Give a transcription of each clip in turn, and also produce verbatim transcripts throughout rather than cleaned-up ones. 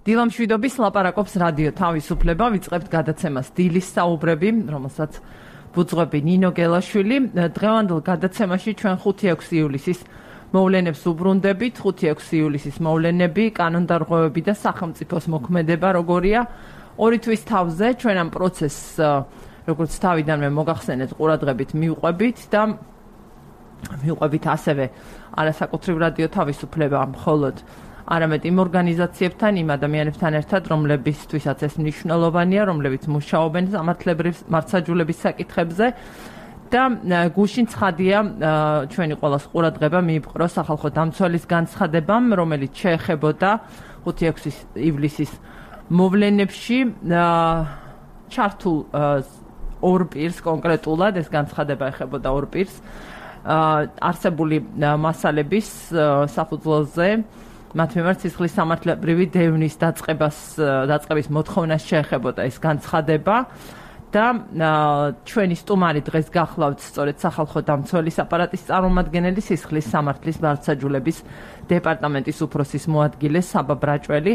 დილამშვიდობის ლაპარაკობს რადიო თავისუფლება, ვიწყებთ გადაცემას დილის საუბრები, რომელსაც ბუძღვები ნინო გელაშვილი. დღევანდელ გადაცემაში ჩვენ ხუთი ექვსი ივლისის მოვლენებს უბრუნდებით. ხუთი ექვსი ივლისის მოვლენები, კანონდარღვევები და სახელმწიფოს მოქმედება როგორია. ორი თვის თავზე ჩვენ ამ პროცესს, როგორც თავიდანვე მოგახსენეთ, ყურადღებით მივყვებით და მივყვებით ასევე არასაკუთრივ რადიო თავისუფლება, მხოლოდ არამედ იმ ორგანიზაციებთან, იმ ადამიანებთან ერთად, რომლებისთვისაც ეს მნიშვნელოვანია, რომლებიც მუშაობენ სამართლებრივ მართლმსაჯულების საკითხებზე და გუშინ ცხადია ჩვენი ყველას ყურადღება მიიპყრო სახალხო დამცველის განცხადებამ, რომელიც შეეხებოდა ხუთი ექვსი ივლისის მოვლენებში ჩართულ ორ პირს კონკრეტულად, ეს განცხადება ეხებოდა ორ პირს არსებული მასალების საფუძველზე მათ მიმართ სისხლის სამართლებრივი დევნის დაწყებას დაწყების მოთხოვნას შეეხებოდა ეს განცხადება და ჩვენი სტუმარი დღეს გახლავთ სწორედ სახალხო დამცველის აპარატის წარმომადგენელი სისხლის სამართლის მართლმსაჯულების დეპარტამენტის უფროსის მოადგილე საბა ბრაჭველი.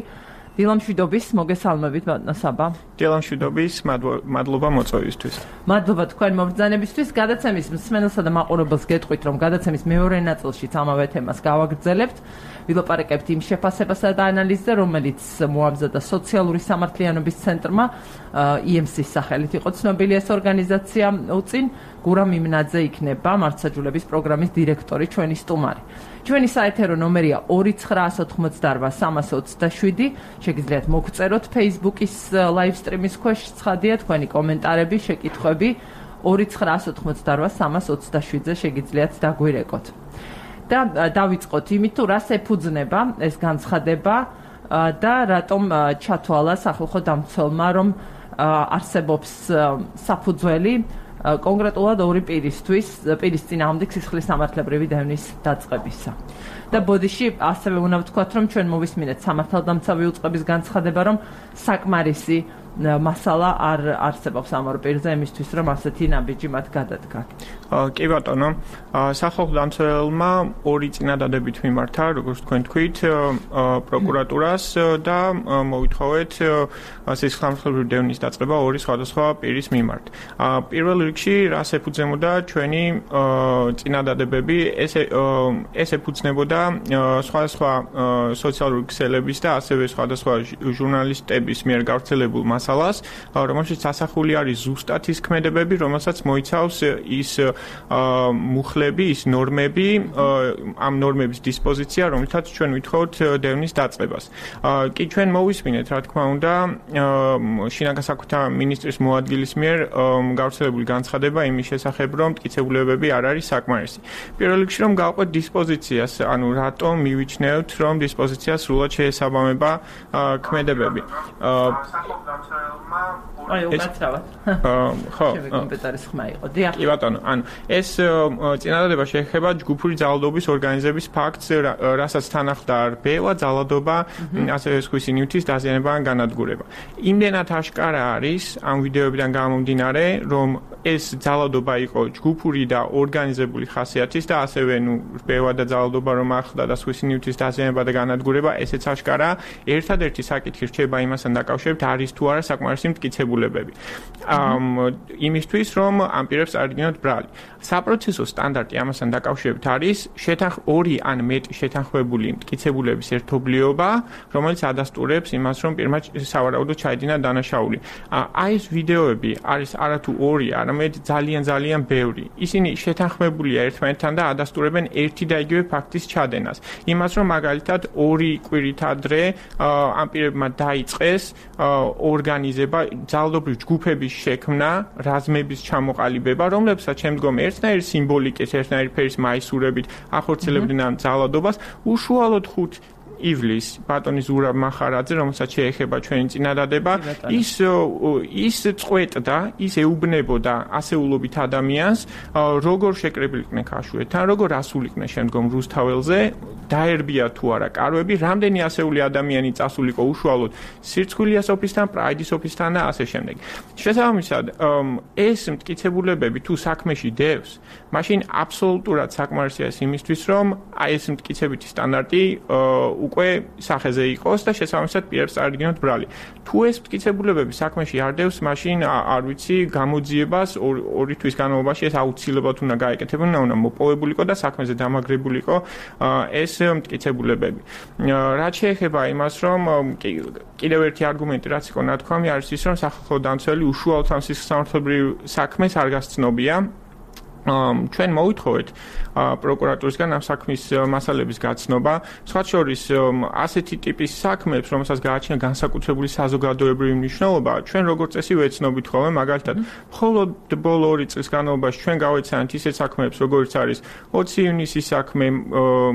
დილამშვიდობის, მოგესალმებით ბატონო საბა. დილამშვიდობის, მადლობა მოწვევისთვის. მადლობა თქვენ მობრძანებისთვის. გადაცემის მსმენელსა და მაყურებელს გეტყვით, რომ გადაცემის მეორე ნაწილშიც ამავე თემას გავაგრძელებთ. ვილაპარაკებთ იმ შეფასებასა და ანალიზზე, რომელიც მოამზადა სოციალური სამართლიანობის ცენტრმა ი ემ სის სახელით იყო ცნობილი ეს ორგანიზაცია უწინ. გურამ იმნაძე იქნება მართლმსაჯულების პროგრამის დირექტორი, ჩვენი სტუმარი. ჩვენი საეთერო ნომერია ორი ცხრაასი ოცდაოთხ სამასი ოცდაშვიდი. შეგიძლიათ მოგწეროთ Facebook-ის live stream-ის ქვეშ, ცხადია თქვენი კომენტარები, შეკითხვები ორი ცხრაასი ოცდაოთხ სამასი ოცდაშვიდზე შეგიძლიათ დაგვირეკოთ. და დავიწყოთ იმით, თუ რას ეფუძნება ეს განცხადება და რატომ ჩათვალა სახალხო დამცველმა, რომ არსებობს საფუძველი კონკრეტულად ორი პირისთვის, პირის წინააღმდეგ სისხლის სამართლებრივი დევნის დაწყებისა. და ბოდიში ასევე უნდა ვთქვათ, რომ ჩვენ მოვისმინეთ სამართალდამცავი უწყების განცხადება, რომ საკმარისი მასალა არ არსებობს ამ ორ პირზე იმისთვის, რომ ასეთი ნაბიჯი მათ გადადგა. კი ბატონო, სახალხო დამცველმა ორი წინადადებით მიმართა, როგორც თქვენ თქვით, პროკურატურას და მოვითხოვეთ სისხლის სამართლებრივი დევნის დაწყება ორი სხვადასხვა პირის მიმართ. პირველ რიგში რას ეფუძნებოდა ჩვენი წინადადებები, ეს ეს ეფუძნებოდა სხვადასხვა სოციალური ქსელების და ასევე სხვადასხვა ჟურნალისტების მიერ გავრცელებულ მასალას, რომელშიც ასახული არის ზუსტად ის ქმედებები, რომელსაც მოიცავს ის მუხლები, ის ნორმები, ამ ნორმების დისპოზიცია, რომელთაც ჩვენ ვითხოვთ დევნის დაწყებას. კი ჩვენ მოვისმინეთ, რა თქმა უნდა, შინაგან საქმეთა მინისტრის მოადგილის მიერ გავრცელებული განცხადება იმის შესახებ, რომ მტკიცებულებები არ არის საკმარისი. პირველ რიგში რომ გავყვეთ დისპოზიციას, ანუ რატომ მივიჩნევთ, რომ დისპოზიციას სრულად შეესაბამება ქმედებები. აი, უკაცრავად. ხო. კომპიუტერის ხმა იყო. დიახ. კი ბატონო, ანუ ეს წინადადება შეეხება ჯგუფური ძალადობის ორგანიზების ფაქტს, რასაც თან ახლდა რბევა, ძალადობა, ასევე სხვისი ნივთის დაზიანება ან განადგურება. იმდენად აშკარა არის ამ ვიდეოებიდან გამომდინარე, რომ ეს ძალადობა იყო ჯგუფური და ორგანიზებული ხასიათის და ასევე ნუ რბევა და ძალადობა რომ ახლდა და სხვისი ნივთის დაზიანება და განადგურება, ესეც აშკარა. ერთადერთი საკითხი რჩება იმასთან დაკავშირებით, არის თუ არა საკმარისი მტკიცებულებები. იმისთვის, რომ ამ პირებს წარდგინოთ ბრალი. საპროცესო სტანდარტი ამასთან დაკავშირებით არის შეთანხ ორი ან მეტი შეთანხმებული მტკიცებულების ერთობლიობა, რომელიც ადასტურებს იმას, რომ პირმა სავარაუდოდ ჩაიდინა დანაშაული. აი ეს ვიდეოები არის არათუ ორი, არამედ ძალიან ძალიან ბევრი. ისინი შეთანხმებულია ერთმანეთთან და ადასტურებენ ერთი და იგივე ფაქტის ჩადენას. იმას, რომ მაგალითად ორი კვირით ადრე ამ პირებმა დაიწყეს ორგანიზება, ძალადობრივ ჯგუფების შექმნა, რაზმების ჩამოყალიბება, რომლებსაც შემდგომ ერთნაირი სიმბოლიკის, ერთნაირი ფერის მაისურებით ახორციელებდნენ ამ ძალადობას, უშუალოდ ხუთი ივლის ბატონი ზურაბ მახარაძე, რომელსაც შეეხება ჩვენი წინადადება, ის ის წყვეტდა, ის ეუბნებოდა ასეულობით ადამიანს, როგორ შეკრებილიყვნენ ქაშვეთან, როგორ ასულიყვნენ შემდგომ რუსთაველზე, დაერბია თუ არა კარვები, რამდენი ასეული ადამიანი წასულიყო უშუალოდ სირცხვილიას ოფისთან, პრაიდის ოფისთან და ასე შემდეგ. შესაბამისად, ეს მტკიცებულებები თუ საქმეში დევს, მაშინ აბსოლუტურად საკმარისია იმისთვის, რომ აი ეს მტკიცებითი სტანდარტი უკვე სახეზე იყოს და შესაბამისად პირებს წარდგინოთ ბრალი. თუ ეს მტკიცებულებები საქმეში არ დევს, მაშინ არ ვიცი გამოძიებას ორი თვის განმავლობაში ეს აუცილებლად უნდა გაეკეთებინა, უნდა მოპოვებულიყო და საქმეზე დამაგრებულიყო ეს მტკიცებულებები. რაც შეეხება იმას, რომ კიდევ ერთი არგუმენტი რაც იყო ნათქვამი არის ის, რომ სახალხო დამცველი უშუალოდ ამ სისხლსამართლებრივ საქმეს არ გასცნობია. ჩვენ მოვითხოვეთ პროკურატურისგან ამ საქმის მასალების გაცნობა, სხვა შორის ასეთი ტიპის საქმეებს, რომელსაც გააჩნია განსაკუთრებული საზოგადოებრივი მნიშვნელობა, ჩვენ როგორც წესი ვეცნობით ხოლმე, მაგალითად, მხოლოდ ბოლო ორი წლის განმავლობაში ჩვენ გავეცანით ისეთ საქმეებს, როგორც არის ოცი ივნისის საქმე,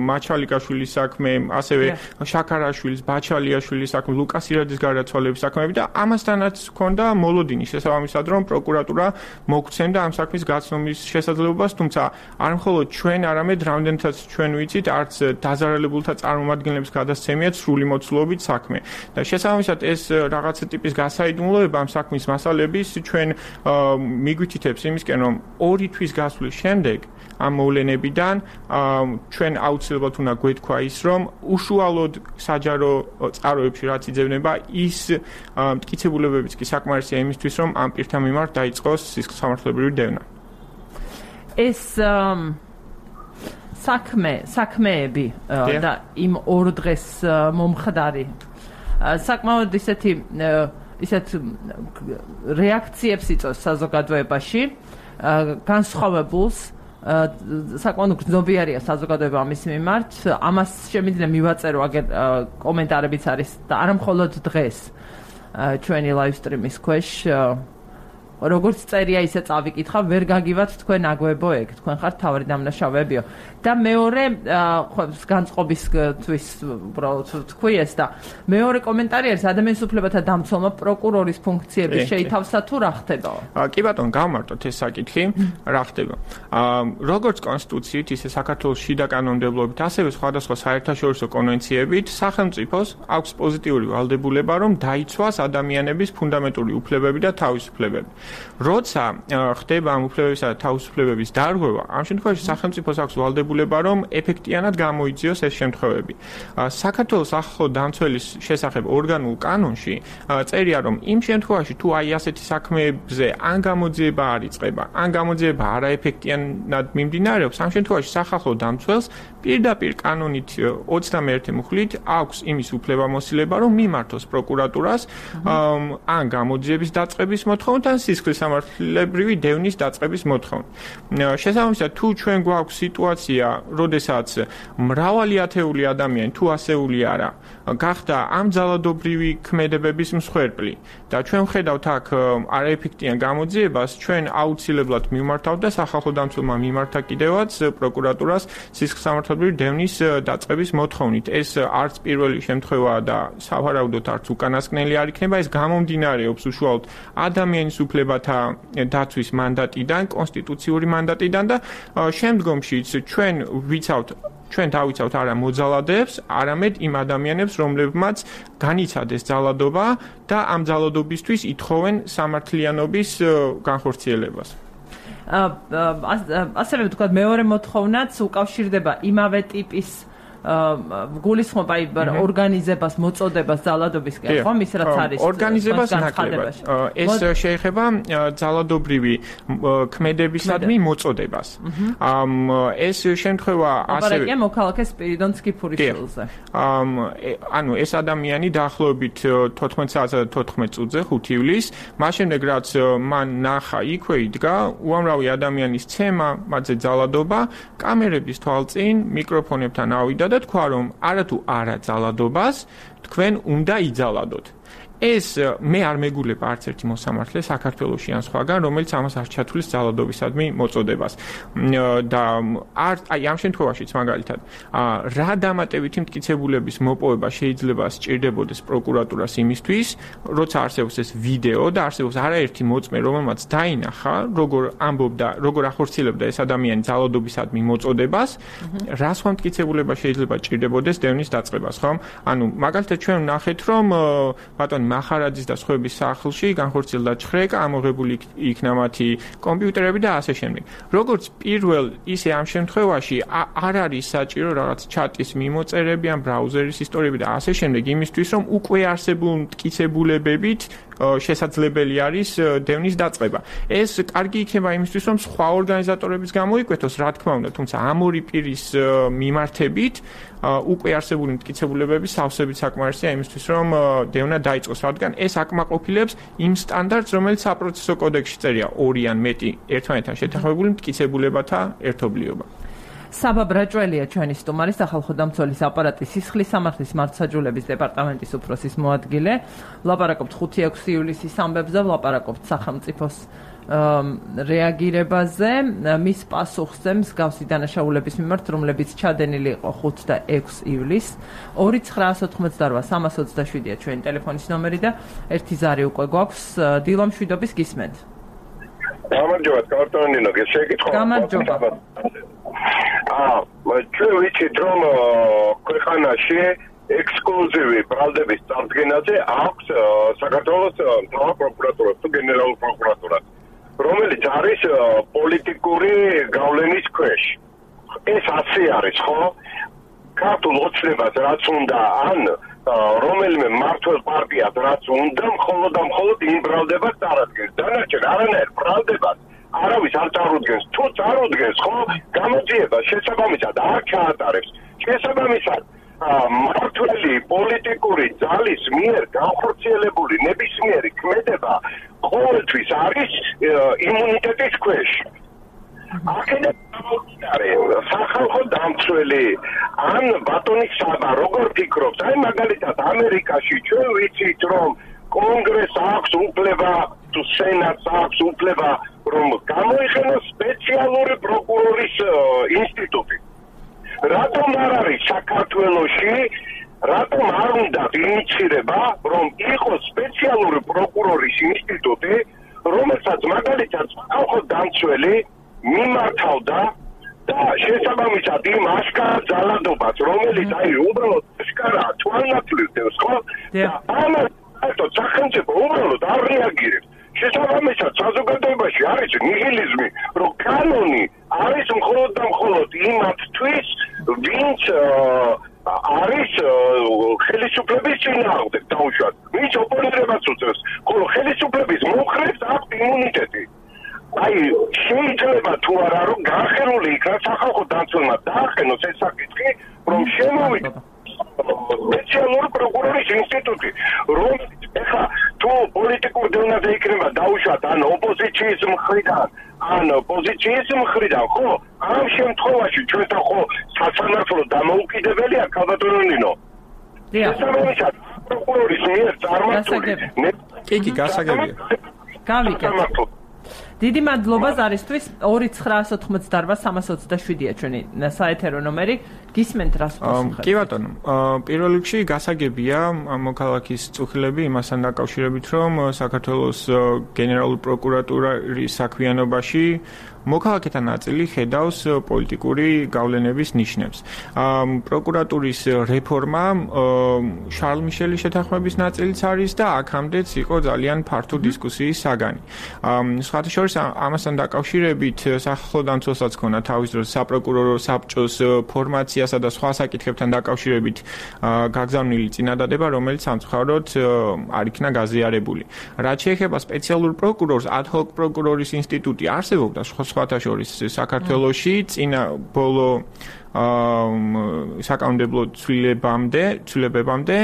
მაჩალიკაშვილის საქმე, ასევე შაქარაშვილის, ბაჩალიაშვილის საქმე, ლუკას ირადის გარდაცვალების საქმეები და ამასთანაც ჰქონდა მოლოდინი შესაბამისად, რომ პროკურატურა მოგცემდა ამ საქმის გაცნობის შესაძლებლობას, თუმცა არ მხოლოდ ჩვენ არამედ რამდენთაც ჩვენ ვიცით, არც დაზარალებულთა წარმომადგენლებს გადასცემიათ სრული მოცულობით საქმე. და შესაბამისად ეს რაღაცა ტიპის გასაიდუმლოება ამ საქმის მასალების ჩვენ მიგვითითებს იმისკენ, რომ ორი თვის გასვლის შემდეგ ამ მოვლენებიდან ჩვენ აუცილებლად უნდა გვეთქვა ის, რომ უშუალოდ საჯარო წყაროებში რაც იძებნება, ის მტკიცებულებებიც კი საკმარისია იმისთვის, რომ ამ პირთა მიმართ დაიწყოს სისხლსამართლებრივი დევნა. ეს საქმე, საქმეები და იმ ორ დღეს მომხდარი საკმაოდ ისეთი ისეთ რეაქციებს იწვევს საზოგადოებაში, განსხვავებულს, საკმაოდ გრძნობიარია საზოგადოება ამის მიმართ. ამას შემიძლია მივაწერო აგერ კომენტარებიც არის და არა მხოლოდ დღეს ჩვენი live stream-ის ქვეშ როგორც წერია ისე წავიკითხა, ვერ გაგივათ თქვენ აგვებო ეგ, თქვენ ხართ თავი დამნაშავეებიო. და მეორე განწყობისთვის უბრალოდ თქვი ეს და მეორე კომენტარი არის ადამიანის უფლებათა დამცველმა პროკურორის ფუნქციების შეითავსა თუ რა ხდება? კი ბატონო, გავმარტოთ ეს საკითხი, რა ხდება. როგორც კონსტიტუციით, ისე საქართველოს შიდა კანონმდებლობით, ასევე სხვადასხვა საერთაშორისო კონვენციებით სახელმწიფოს აქვს პოზიტიური ვალდებულება, რომ დაიცვას ადამიანების ფუნდამენტური უფლებები და თავისუფლებები. როცა ხდება ამ უფლებებისა და თავისუფლებების დარღვევა, ამ შემთხვევაში სახელმწიფოს აქვს ვალდებულება, რომ ეფექტიანად გამოიძიოს ეს შემთხვევები. საქართველოს სახალხო დამცველის შესახებ ორგანულ კანონში წერია, რომ იმ შემთხვევაში თუ აი ასეთი საქმეებზე ან გამოძიება არ იწყება, ან გამოძიება არაეფექტიანად მიმდინარეობს, ამ შემთხვევაში სახალხო დამცველს პირდაპირ კანონით ოცდამეერთე მუხლით აქვს იმის უფლებამოსილება, რომ მიმართოს პროკურატურას ან გამოძიების დაწყების მოთხოვნით, ან სისხლისამართლებრივი დევნის დაწყების მოთხოვნით. შესაბამისად, თუ ჩვენ გვაქვს სიტუაცია, როდესაც მრავალი ათეული ადამიანი თუ ასეული არა, გახდა ამ ძალადობრივი ქმედებების მსხვერპლი და ჩვენ ვხედავთ აქ არაეფექტიან გამოძიებას, ჩვენ აუცილებლად მივმართავთ და სახალხო დამცველმა მიმართა კიდევაც პროკურატურას სისხლისამართლებრივი დევნის დაწყების მოთხოვნით. ეს არც პირველი შემთხვევაა და სავარაუდოდ არც უკანასკნელი არ იქნება, ეს გამომდინარეობს უშუალოდ ადამიანის უფლებათა დაცვის მანდატიდან, კონსტიტუციური მანდატიდან და შემდგომშიც ჩვენ ვიცავთ ჩვენ დავიცავთ არა მოძალადეებს, არამედ იმ ადამიანებს, რომლებმაც განიცადეს ძალადობა და ამ ძალადობისთვის ითხოვენ სამართლიანობის განხორციელებას. ასევე ვთქვათ, მეორე მოთხოვნაც უკავშირდება იმავე ტიპის გულისხმობ აი ორგანიზებას, მოწოდებას ძალადობისკენ, ხო, მის რაც არის ორგანიზებას ნაკლებად. ეს შეეხება ძალადობრივი ქმედებისადმი მოწოდებას. ეს შემთხვევა ასევე აპარატია მოქალაქე სპირიდონ სკიფურიშვილზე. ანუ ეს ადამიანი დაახლოებით თოთხმეტ საათსა და თოთხმეტ წუთზე ხუთი ივლისს, მას შემდეგ რაც მან ნახა იქვე იდგა უამრავი ადამიანის ცემა, მათზე ძალადობა, კამერების თვალწინ მიკროფონებთან ავიდა და თქვა, რომ არათუ არა ძალადობას, თქვენ უნდა იძალადოთ. ეს მე არ მეგულებ არც ერთი მოსამართლე საქართველოში ან სხვაგან, რომელიც ამას არ ჩათვლის ძალადობისადმი მოწოდებას. და არ აი ამ შემთხვევაშიც მაგალითად, რა დამატებითი მტკიცებულების მოპოვება შეიძლება სჭირდებოდეს პროკურატურას იმისთვის, როცა არსებობს ეს ვიდეო და არსებობს არაერთი მოწმე, რომელმაც დაინახა, როგორ ამბობდა, როგორ ახორციელებდა ეს ადამიანი ძალადობისადმი მოწოდებას, რა სხვა მტკიცებულება შეიძლება სჭირდებოდეს დევნის დაწყებას, ხო? ანუ მაგალითად ჩვენ ვნახეთ, რომ ბატონი მახარაძის და სხვების სახლში განხორციელდა ჩხრეკა, ამოღებული იქნა მათი კომპიუტერები და ასე შემდეგ. როგორც პირველ, ისე ამ შემთხვევაში არ არის საჭირო რაღაც ჩატის მიმოწერები ან ბრაუზერის ისტორიები და ასე შემდეგ, იმისთვის რომ უკვე არსებულ მტკიცებულებებით შესაძლებელი არის დევნის დაწყება. ეს კარგი იქნება იმისთვის, რომ სხვა ორგანიზატორების გამოიკვეთოს, რა თქმა უნდა, თუმცა ამ ორი პირის მიმართებით უკვე არსებული მტკიცებულებები სავსებით საკმარისია იმისთვის, რომ დევნა დაიწყოს, რადგან ეს აკმაყოფილებს იმ სტანდარტს, რომელიც საპროცესო კოდექსში წერია, ორი ან მეტი ერთმანეთთან შეთანხმებული მტკიცებულებათა ერთობლიობა. საბა ბრაჭველია ჩვენი სტუმარი, სახალხო დამცველის აპარატის სისხლის სამართლის მართლმსაჯულების დეპარტამენტის უფროსის მოადგილე. ვლაპარაკობთ ხუთი ექვსი ივლისის ამბებზე, ვლაპარაკობთ სახელმწიფოს რეაგირებაზე, მის პასუხზე მსგავსი დანაშაულების მიმართ, რომლებიც ჩადენილი იყო ხუთი და ექვსი ივლისს. ორი ცხრა ოცდაოთხმოცდარბა სამას ოცდაშვიდია ჩვენი ტელეფონის ნომერი და ერთი ზარი უკვე გვაქვს. დილო მშვიდობის გისმენთ. გამარჯობა, კარტონინო, შეკითხვა. გამარჯობა. აა, ჩვენ ვიცით, რომ ქვეყანაში ექსკლუზივი ბრალდების წარდგენაზე აქვს საქართველოს მთავარ პროკურატურას თუ გენერალურ პროკურატურას, რომელიც არის პოლიტიკური გავლენის ქვეშ. ეს ასე არის, ხო? ქართულ ოცნებას რაც უნდა, ან რომელიმე მმართველ პარტიას რაც უნდა, მხოლოდ და მხოლოდ იმ ბრალდებას წარადგენს. დანარჩენ არანაირ ბრალდებას არავის არ წარუდგენს. თუ წარუდგენს, ხო, გამოძიება შესაბამისად არ ჩაატარებს. შესაბამისად მმართველი პოლიტიკური ძალის მიერ განხორციელებული ნებისმიერი ქმედება ყოველთვის არის იმუნიტეტის ქვეშ. აქედან გამომდინარე, სახალხო დამცველი ან ბატონი საბა როგორ ფიქრობს? აი მაგალითად ამერიკაში ჩვენ ვიცით, რომ კონგრესს აქვს უფლება თუ სენატს აქვს უფლება რომ გამოიყენოს სპეციალური პროკურორის ინსტიტუტი. რატომ არ არის საქართველოში, რატომ არ უნდა ინიცირება, რომ იყოს სპეციალური პროკურორის ინსტიტუტი, რომელსაც მაგალითად სახალხო დამცველი მიმართავდა და შესაბამისად იმ აშკარა ძალადობას, რომელიც აი უბრალოდ აშკარა თვალნათლივს, ხო? და ამას ერთო სახელმწიფო უბრალოდ არ რეაგირებს. შესაბამისად საზოგადოებაში არის ნიჰილიზმი, რომ კანონი არის მხოლოდ და მხოლოდ იმათთვის, ვინც არის ხელისუფლების წინააღმდეგ დაუშვათ. ვინც ოპონირებას უწევს, ხოლო ხელისუფლების მომხრეს აქვს იმუნიტეტი. აი შეიძლება თუ არა რომ განხილული იქნა სახალხო დამცველმა დაახენოს ეს საკითხი, რომ შემოვიდა სპეციალური პროკურორის ინსტიტუტი, რომელიც ეხლა თუ პოლიტიკურ დევნაზე იქნება დაუშვათ ან ოპოზიციის მხრიდან, ან პოზიციის მხრიდან, ხო, ამ შემთხვევაში ჩვენთან ხო სასამართლო დამოუკიდებელია ქალბატონინო. შესაბამისად პროკურორის მიერ წარმართული კი კი გასაგებია. გავიკეთე. დიდი მადლობა ზარისთვის. ორი ცხრა ოცდაოთხმოცდაარბა სამას ოცდაშვიდია ჩვენი საეთერო ნომერი. გისმენთ რას პასუხებთ? კი ბატონო, პირველ რიგში გასაგებია მოქალაქის წუხილები იმასთან დაკავშირებით, რომ საქართველოს გენერალური პროკურატურის საქმიანობაში მოქალაქეთა ნაწილი ხედავს პოლიტიკური გავლენების ნიშნებს. პროკურატურის რეფორმა შარლ მიშელის შეთანხმების ნაწილიც არის და აქამდეც იყო ძალიან ფართო დისკუსიის საგანი. სხვათა შორის ამასთან დაკავშირებით სახალხო დამცველსაც ქონა თავის დროს საპროკურორო საბჭოს ფორმაციასა და სხვა საკითხებთან დაკავშირებით გაგზავნილი წინადადება, რომელიც სამწუხაროდ არ იქნა გაზიარებული. რაც შეეხება სპეციალურ პროკურორს, ad hoc პროკურორის ინსტიტუტი არსებობდა სხვათა შორის საქართველოში წინა ბოლო საკანონმდებლო ცვლილებამდე, ცვლილებებამდე,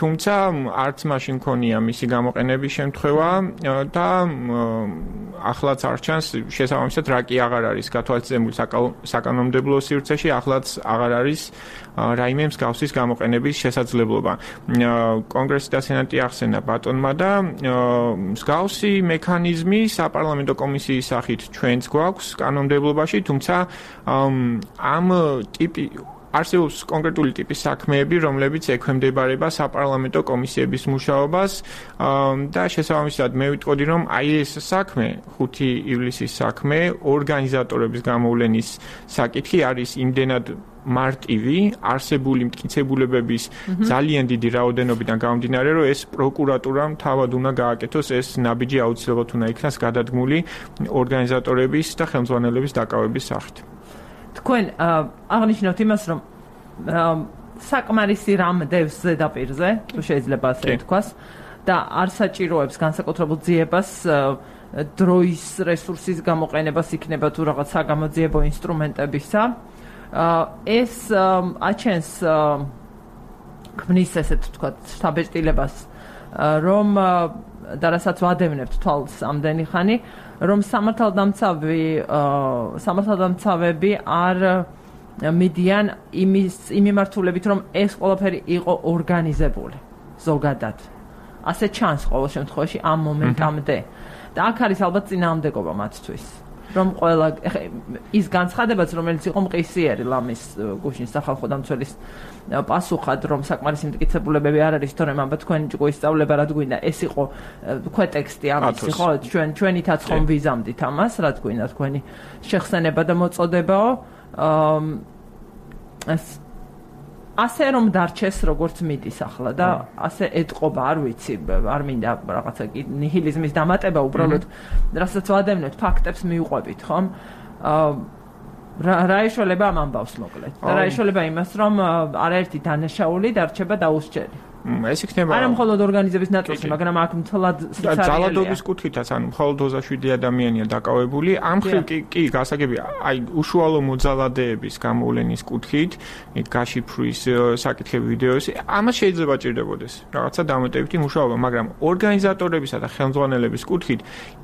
თუმცა არც მაშინ მქონია მისი გამოყენების შემთხვევა და ახლაც არ ჩანს შესაბამისად რა კი აღარ არის გათვალისწინებული საკანონმდებლო სივრცეში, ახლაც აღარ არის რაიმე მსგავსის გამოყენების შესაძლებლობა. კონგრესი და სენატი ახსენა ბატონმა და მსგავსი მექანიზმი საპარლამენტო კომისიის სახით ჩვენც გვაქვს კანონმდებლობაში, თუმცა ამ ტიპი არსებობს კონკრეტული ტიპის საქმეები, რომლებიც ექვემდებარება საპარლამენტო კომისიების მუშაობას და შესაბამისად მე ვიტყოდი, რომ აი ეს საქმე, ხუთი ივლისის საქმე, ორგანიზატორების გამოვლენის საკითხი არის იმდენად მარტივი, არსებული მტკიცებულებების ძალიან დიდი რაოდენობიდან გამომდინარე, რომ ეს პროკურატურამ თავად უნდა გააკეთოს ეს ნაბიჯი აუცილებლად უნდა იქნას გადადგმული ორგანიზატორების და ხელმძღვანელების დაკავების სახით. თქვენ აღნიშნავთ იმას, რომ საკმარისი რამ დევს ზედაპირზე, თუ შეიძლება ასე ვთქვას, და არ საჭიროებს განსაკუთრებულ ძიებას დროის რესურსის გამოყენებას იქნება თუ რაღაც საგამოძიებო ინსტრუმენტებისა. ეს აჩენს ქმნის ესეთ ვთქვათ საბეჭდილებას, რომ და რასაც ვადევნებთ თვალს ამდენი ხანი, რომ სამართალდამცავი სამართალდამცავები არ მიდიან იმის იმიმართულებით, რომ ეს ყველაფერი იყო ორგანიზებული ზოგადად. ასე ჩანს ყოველ შემთხვევაში ამ მომენტამდე. და აქ არის ალბათ წინააღმდეგობა მათთვის. რომ ყველა ის განცხადებაც, რომელიც იყო მყისიერი ლამის გუშინ სახალხო დამცველის პასუხად, რომ საკმარისი მტკიცებულებები არ არის, თორემ აბა თქვენი ჭკუის სწავლება რა გვინდა, ეს იყო ქვეტექსტი ამისი, ხო, ჩვენ ჩვენითაც ხომ ვიზამდით ამას, რა გვინდა თქვენი შეხსენება და მოწოდებაო. ეს ასე რომ დარჩეს როგორც მიდის ახლა და ასე ეტყობა, არ ვიცი, არ მინდა რაღაცა ნიჰილიზმის დამატება, უბრალოდ რასაც ვადევნებთ, ფაქტებს მივყვებით, ხომ? რა ეშველება ამ ამბავს მოკლედ? და რა ეშველება იმას, რომ არაერთი დანაშაული დარჩება დაუსჯელი. ეს იქნება არა მხოლოდ ორგანიზების ნაწილში, მაგრამ აქ მთლად ძალადობის კუთხითაც, ანუ მხოლოდ ოცდაშვიდი ადამიანია დაკავებული. ამ მხრივ კი კი გასაგებია, აი უშუალო მოძალადეების გამოვლენის კუთხით, გაშიფრვის საკითხები ვიდეოები, ამას შეიძლება ჭირდებოდეს რაღაცა დამეტებითი მუშაობა, მაგრამ ორგანიზატორებისა და ხელმძღვანელების კუთხით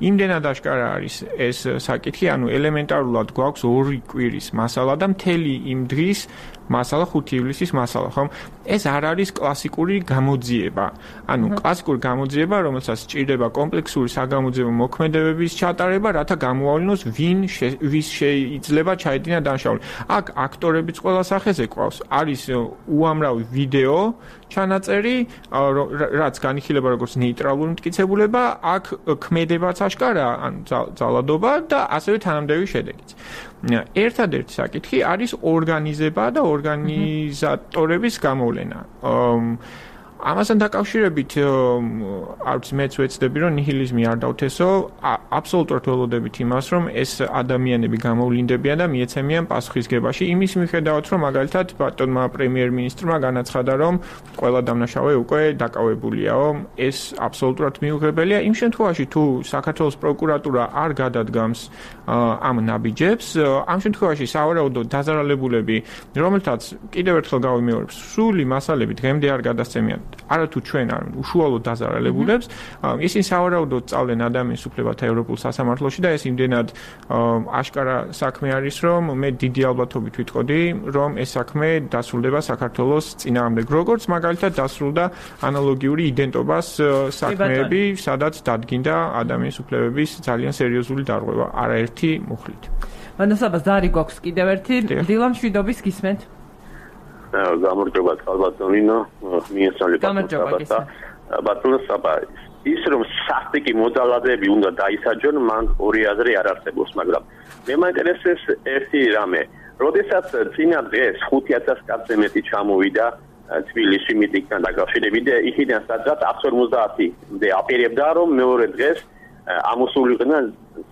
იმდენად აშკარა არის ეს საკითხი, ანუ ელემენტარულად გვაქვს ორი კვირის მასალა და მთელი იმ დღის მასალა ხუთი ივლისის მასალა, ხომ? ეს არ არის კლასიკური გამოძიება. ანუ კლასიკური გამოძიება, რომელსაც სჭირდება კომპლექსური საგამოძიებო მოქმედებების ჩატარება, რათა გამოავლინოს ვინ ვის შეიძლება ჩაედინა დანაშაული. აქ აქტორებიც ყველა სახეზე ყავს. არის უამრავი ვიდეო ჩანაწერი, რაც განიხილება როგორც ნეიტრალური მტკიცებულება, აქ ქმედებაც აშკარა, ანუ ძალადობა და ასევე თანამდები შედეგიც. ერთადერთი საკითხი არის ორგანიზება და ორგანიზატორების გამოვლენა. ამასთან დაკავშირებით არც მეც ვეცდები, რომ ნიჰილიზმი არ დავთესო, აბსოლუტურად ველოდებით იმას, რომ ეს ადამიანები გამოვლინდებიან და მიეცემიან პასუხისგებაში. იმის მიხედავთ, რომ მაგალითად ბატონმა პრემიერ-მინისტრმა განაცხადა, რომ ყველა დამნაშავე უკვე დაკავებულია. ეს აბსოლუტურად მიუღებელია. იმ შემთხვევაში, თუ საქართველოს პროკურატურა არ გადადგამს ამ ნაბიჯებს, ამ შემთხვევაში სავარაუდოდ დაზარალებულები, რომელთაც კიდევ ერთხელ გავიმეორებ, სრული მასალები დღემდე არ გადასცემიან. არათუ ჩვენ არ უშუალოდ დაზარალებულებს, ისინი სავარაუდოდ წავდნენ ადამიანის უფლებათა ევროპულ სასამართლოში და ეს იმდენად აშკარა საქმე არის, რომ მე დიდი ალბათობით ვიტყოდი, რომ ეს საქმე დასრულდება საქართველოს წინააღმდეგ. როგორც მაგალითად დასრულდა ანალოგიური იდენტობას საქმეები, სადაც დადგინდა ადამიანის უფლებების ძალიან სერიოზული დარღვევა არაერთი მუხლით. მადლობა, ზარი გვაქვს კიდევ ერთი დილა მშვიდობის გისმენთ. გამარჯობა ბატონინო, მიესალმებით. ბატონო საბა, ის რომ სასტიკი მოძალადეები უნდა დაისაჯონ, მან ორი აზრი არ არსებობს, მაგრამ მე მაინტერესებს ერთი რამე. როდესაც წინა დღეს ხუთი ათას კაცზე მეტი ჩამოვიდა თბილისში მიტინგთან დაკავშირებით და იქიდან სადღაც εκατს ორმოცდაათი-მდე აპირებდა, რომ მეორე დღეს ამოსულიყვნენ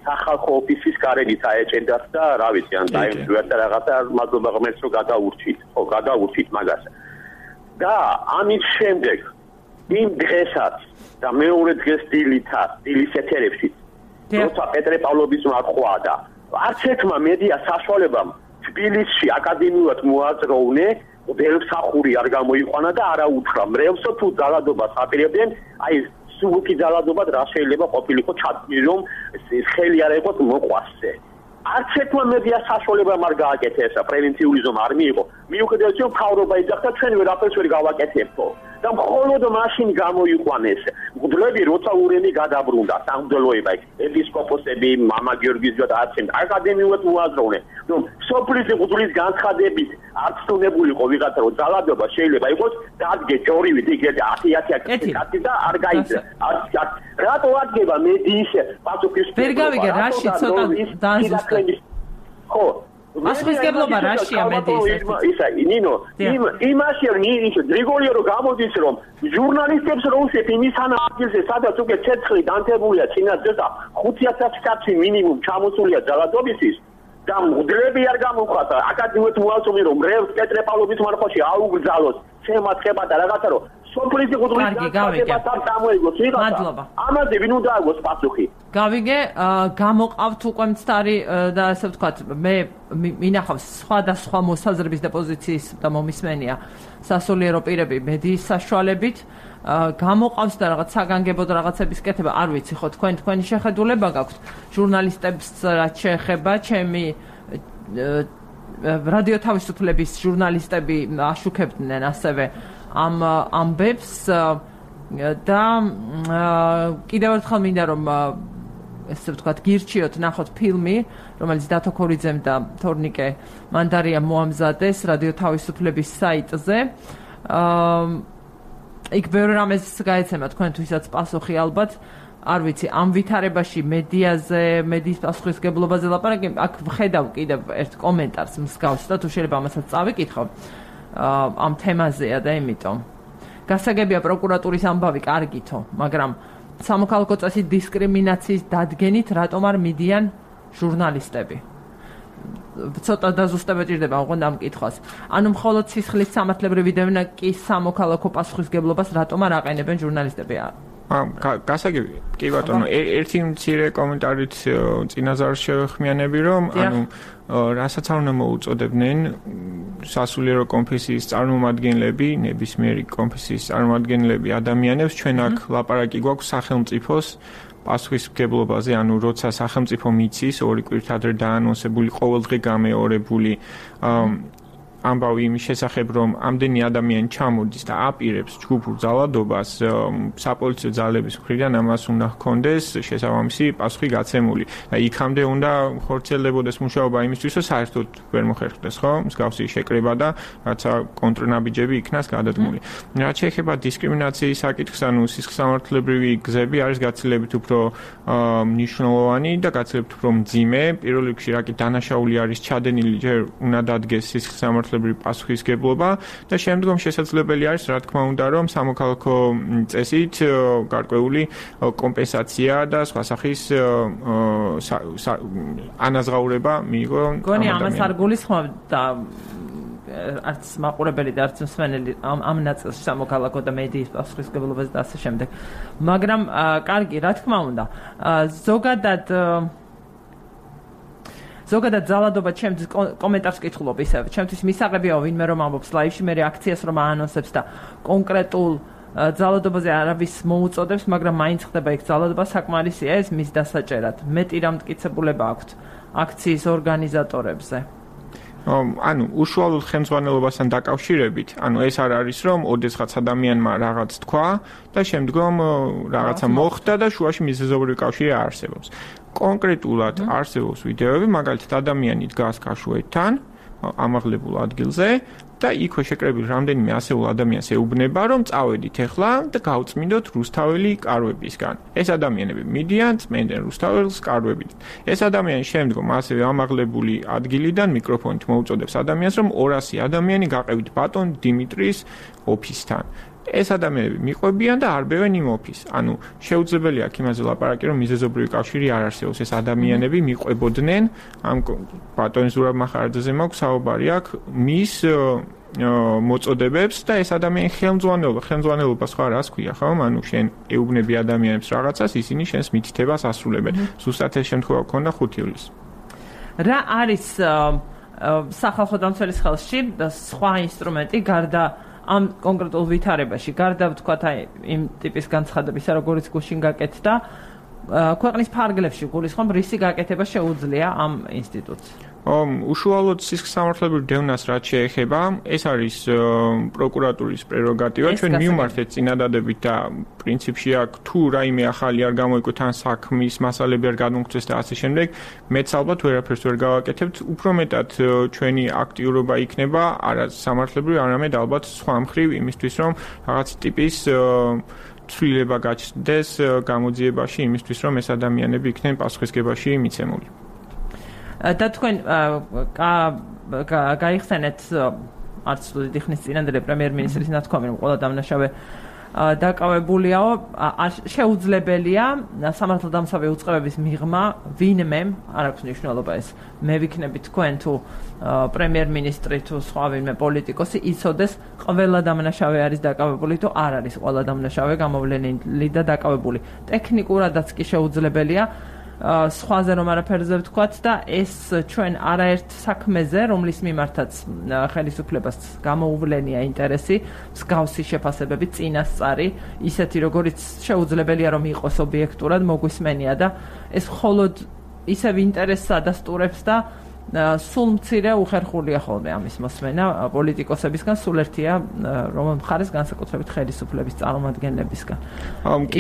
სახალხო ოფისის კარებით აეჭედათ და რა ვიცი, ან დაემშვიათ და რაღაცა მადლობა ღმერთს რომ გადაურჩით, ხო, გადაურჩით მაგას. და ამის შემდეგ იმ დღესაც და მეორე დღეს დილითაც, დილის ეთერებში, როცა პეტრე პავლოვიჩმა ახლვა და არც ერთმა მედია საშუალებამ თბილისში აკადემიურად მოაძროვნე, ველსახური არ გამოიყვანა და არა უთხრა მრევლსო თუ ძალადობას აპირებდნენ, აი სულკი ძალადობად რა შეიძლება ყოფილიყო ჩადმი, რომ ხელი არ ეყოთ მოყვასზე. არც ერთმა მედია საშუალებამ არ გააკეთა ესა, პრევენციული ზომა არ მიიღო. მიუხედავად იმისა, რომ მთავრობა იძახდა, ჩვენ ვერაფერს ვერ გავაკეთებთო. და მხოლოდ მაშინ გამოიყვანეს მღვდლები როცა ურემი გადაბრუნდა სამღვდელოება ეპისკოპოსები მამა გიორგის და არცენ აკადემიურად უაზროვნენ რომ სოფლის მღვდლის განცხადებით არ ცნობილიყო ვიღაცა რომ ძალადობა შეიძლება იყოს დადგე ჯორივით იგივე ათი ათი კაცი და არ გაიძრა რატო ადგება მედიის პასუხისმგებლობა ვერ გავიგე რაში ცოტა დააზუსტე ხო პასუხისმგებლობა რაშია მედიის ისა ნინო იმ იმაშია ნინო გრიგოლიო რომ გამოდის რომ ჟურნალისტებს რო უსვით იმის ანალიზზე სადაც უკვე ცეცხლი დანთებულია წინასწარ და ხუთი ათასი კაცი მინიმუმ ჩამოსულია ძალადობისთვის და მღვდლები არ გამოყვათა აკადემიურად უალწონი რომ რევს პეტრეპავლობის მარხოში აუგზავნოს შემაცხება და რაღაცა რომ სოფლის მღვდლის განცხადება დამოიგოს ვიღაცა ამაზე ვინ უნდა აგოს პასუხი გავიგე გამოყავთ უკვე მცდარი და ასე ვთქვათ მე მინახავს სხვადასხვა მოსაზრების და პოზიციის და მომისმენია სასულიერო პირები მედიის საშუალებით გამოყავს და რაღაც საგანგებოდ რაღაცების კეთება არ ვიცი ხო თქვენ თქვენი შეხედულება გაქვთ ჟურნალისტებს რაც შეეხება ჩემი რადიო თავისუფლების ჟურნალისტები აშუქებდნენ ასევე ამ ამბებს და კიდევ ერთხელ მინდა რომ ესე ვთქვათ გირჩიოთ ნახოთ ფილმი რომელიც დათო ქორიძემ და თორნიკე მანდარიამ მოამზადეს რადიო თავისუფლების საიტზე იქ ბევრ რამეს გაეცემა თქვენთვისაც პასუხი ალბათ არ ვიცი ამ ვითარებაში მედიაზე მედიის პასუხისმგებლობაზე ლაპარაკი აქ ვხედავ კიდევ ერთ კომენტარს მსგავს და თუ შეიძლება ამასაც წავიკითხო ამ თემაზეა და იმიტომ გასაგებია პროკურატურის ამბავი კარგითო მაგრამ სამოქალაქო წესის დისკრიმინაციის დადგენით რატომ არ მიდიან ჟურნალისტები ცოტა დაზუსტება ჭირდება ოღონდ ამ კითხვას ანუ მხოლოდ სისხლის სამართლებრივი დევნაკის სამოქალაქო პასუხისმგებლობას რატომ არ აყენებენ ჟურნალისტები გასაგები კი ბატონო ერთი მცირე კომენტარით წინაზარ შევხმიანები რომ ანუ რასაც არ უნდა მოუწოდებდნენ სასულიერო კონფესიის წარმომადგენლები ნებისმიერი კონფესიის წარმომადგენლები ადამიანებს ჩვენ აქ ლაპარაკი გვაქვს სახელმწიფოს პასუხისმგებლობაზე ანუ როცა სახელმწიფო მიცის ორი კვირით ადრე დაანონსებული ყოველდღე გამეორებული ამბავი იმის შესახებ რომ ამდენი ადამიანი ჩამოდის და აპირებს ჯგუფურ ძალადობას საპოლიციო ძალების მხრიდან ამას უნდა ჰქონდეს შესაბამისი პასუხი გაცემული და იქამდე უნდა ხორციელდებოდეს მუშაობა იმისთვის რომ საერთოდ ვერ მოხერხდეს ხო მსგავსი შეკრება და რაცა კონტრნაბიჯები იქნას გადადგმული რაც შეეხება დისკრიმინაციის საკითხს ანუ სისხლსამართლებრივი გზები არის გაცილებით უფრო მნიშვნელოვანი და გაცილებით უფრო მძიმე პირველ რიგში რაკი დანაშაული არის ჩადენილი ჯერ უნდა დადგეს სისხლსამართლებრივი პასუხისმგებლობა და შემდგომ შესაძლებელი არის რა თქმა უნდა რომ სამოქალაქო წესით გარკვეული კომპენსაცია და სხვა სახის ანაზღაურება მიიღო გონი ამას არ გულისხმობ და არც მაყურებელი და არც მსმენელი ამ ნაწილს სამოქალაქო და მედიის პასუხისმგებლობაზე და ასე შემდეგ მაგრამ კარგი რა თქმა უნდა ზოგადად ზოგადად ძალადობა ჩემთვის კომენტარს კითხულობ ისევ ჩემთვის მისაღებია ვინმე რომ ამბობს ლაივში მე რეაქციას რომ აანონსებს და კონკრეტულ ძალადობაზე არავის მოუწოდებს მაგრამ მაინც ხდება იქ ძალადობა საკმარისია ეს მის დასაჭერად მეტი რამ მტკიცებულება აქვთ აქციის ორგანიზატორებზე ანუ უშუალოდ ხელმძღვანელობასთან დაკავშირებით ანუ ეს არ არის რომ ოდესღაც ადამიანმა რაღაც თქვა და შემდგომ რაღაცა მოხდა და შუაში მიზეზობრივი კავშირი არსებობს კონკრეტულად არსებობს ვიდეოები მაგალითად ადამიანი დგას გაშვეთთან ამაღლებულ ადგილზე და იქვე შეკრებილ რამდენიმე ასეულ ადამიანს ეუბნება რომ წავედით ახლა და გავწმინდოთ რუსთაველი კარვებისგან ეს ადამიანები მიდიან წმენდნენ რუსთაველს კარვებით ეს ადამიანი შემდგომ ასევე ამაღლებული ადგილიდან მიკროფონით მოუწოდებს ადამიანს რომ ორასი ადამიანი გაყევით ბატონ დიმიტრის ოფისთან ეს ადამიანები მიყვებიან და არბევენ იმ ოფისს. ანუ შეუძლებელია აქ იმაზე ლაპარაკი, რომ მიზეზობრივი კავშირი არ არსებობს. ეს ადამიანები მიყვებოდნენ ამ ბატონ ზურაბ მახარაძეზე მაქვს საუბარი აქ მის მოწოდებებს და ეს ადამიანი ხელმძღვანელობა, ხელმძღვანელობა სხვა რას ქვია, ხო? ანუ შენ ეუბნები ადამიანებს რაღაცას, ისინი შენს მითითებას ასრულებენ. ზუსტად ეს შემთხვევა ქონდა ხუთი ივლისს. რა არის სახალხო დამცველის ხელში და სხვა ინსტრუმენტი გარდა ამ კონკრეტულ ვითარებაში, გარდა ვთქვათ აი იმ ტიპის განცხადებისა, როგორც გუშინ გაკეთდა, ქვეყნის ფარგლებში გულისხმობ რისი გაკეთება შეუძლია ამ ინსტიტუტს? უშუალოდ სისხლსამართლებრივ დევნას რაც შეეხება, ეს არის პროკურატურის პრეროგატივა. ჩვენ მივმართეთ წინადადებით და პრინციპში აქ თუ რაიმე ახალი არ გამოიკვეთ ან საქმის მასალები არ გადმოგწეს და ასე შემდეგ, მეც ალბათ ვერაფერს ვერ გავაკეთებთ. უფრო მეტად ჩვენი აქტიურობა იქნება არა სამართლებრივ, არამედ ალბათ სხვა მხრივ იმისთვის, რომ რაღაც ტიპის ცვლილება გაჩნდეს გამოძიებაში იმისთვის, რომ ეს ადამიანები იქნენ პასუხისგებაში მიცემული. და თქვენ გაიხსენეთ არც დიდი ხნის წინანდელი პრემიერ-მინისტრის ნათქვამი, რომ ყველა დამნაშავე დაკავებულიაო, შეუძლებელია სამართალდამცავი უწყებების მიღმა ვინმე, არ აქვს მნიშვნელობა ეს, მე ვიქნები თქვენ თუ პრემიერ-მინისტრი თუ სხვა ვინმე პოლიტიკოსი, იცოდეს ყველა დამნაშავე არის დაკავებული თუ არ არის ყველა დამნაშავე გამოვლენილი და დაკავებული. ტექნიკურადაც კი შეუძლებელია სხვაზე რომ არაფერზე ვთქვათ და ეს ჩვენ არაერთ საქმეზე, რომლის მიმართაც ხელისუფლებას გამოუვლენია ინტერესი, მსგავსი შეფასებები, წინასწარი, ისეთი როგორიც შეუძლებელია რომ იყოს ობიექტურად მოგვისმენია და ეს მხოლოდ ისევ ინტერესს ადასტურებს და სულ მცირე უხერხულია ხოლმე ამის მოსმენა პოლიტიკოსებისგან, სულ ერთია რომ მხარეს განსაკუთრებით ხელისუფლების წარმომადგენლებისგან.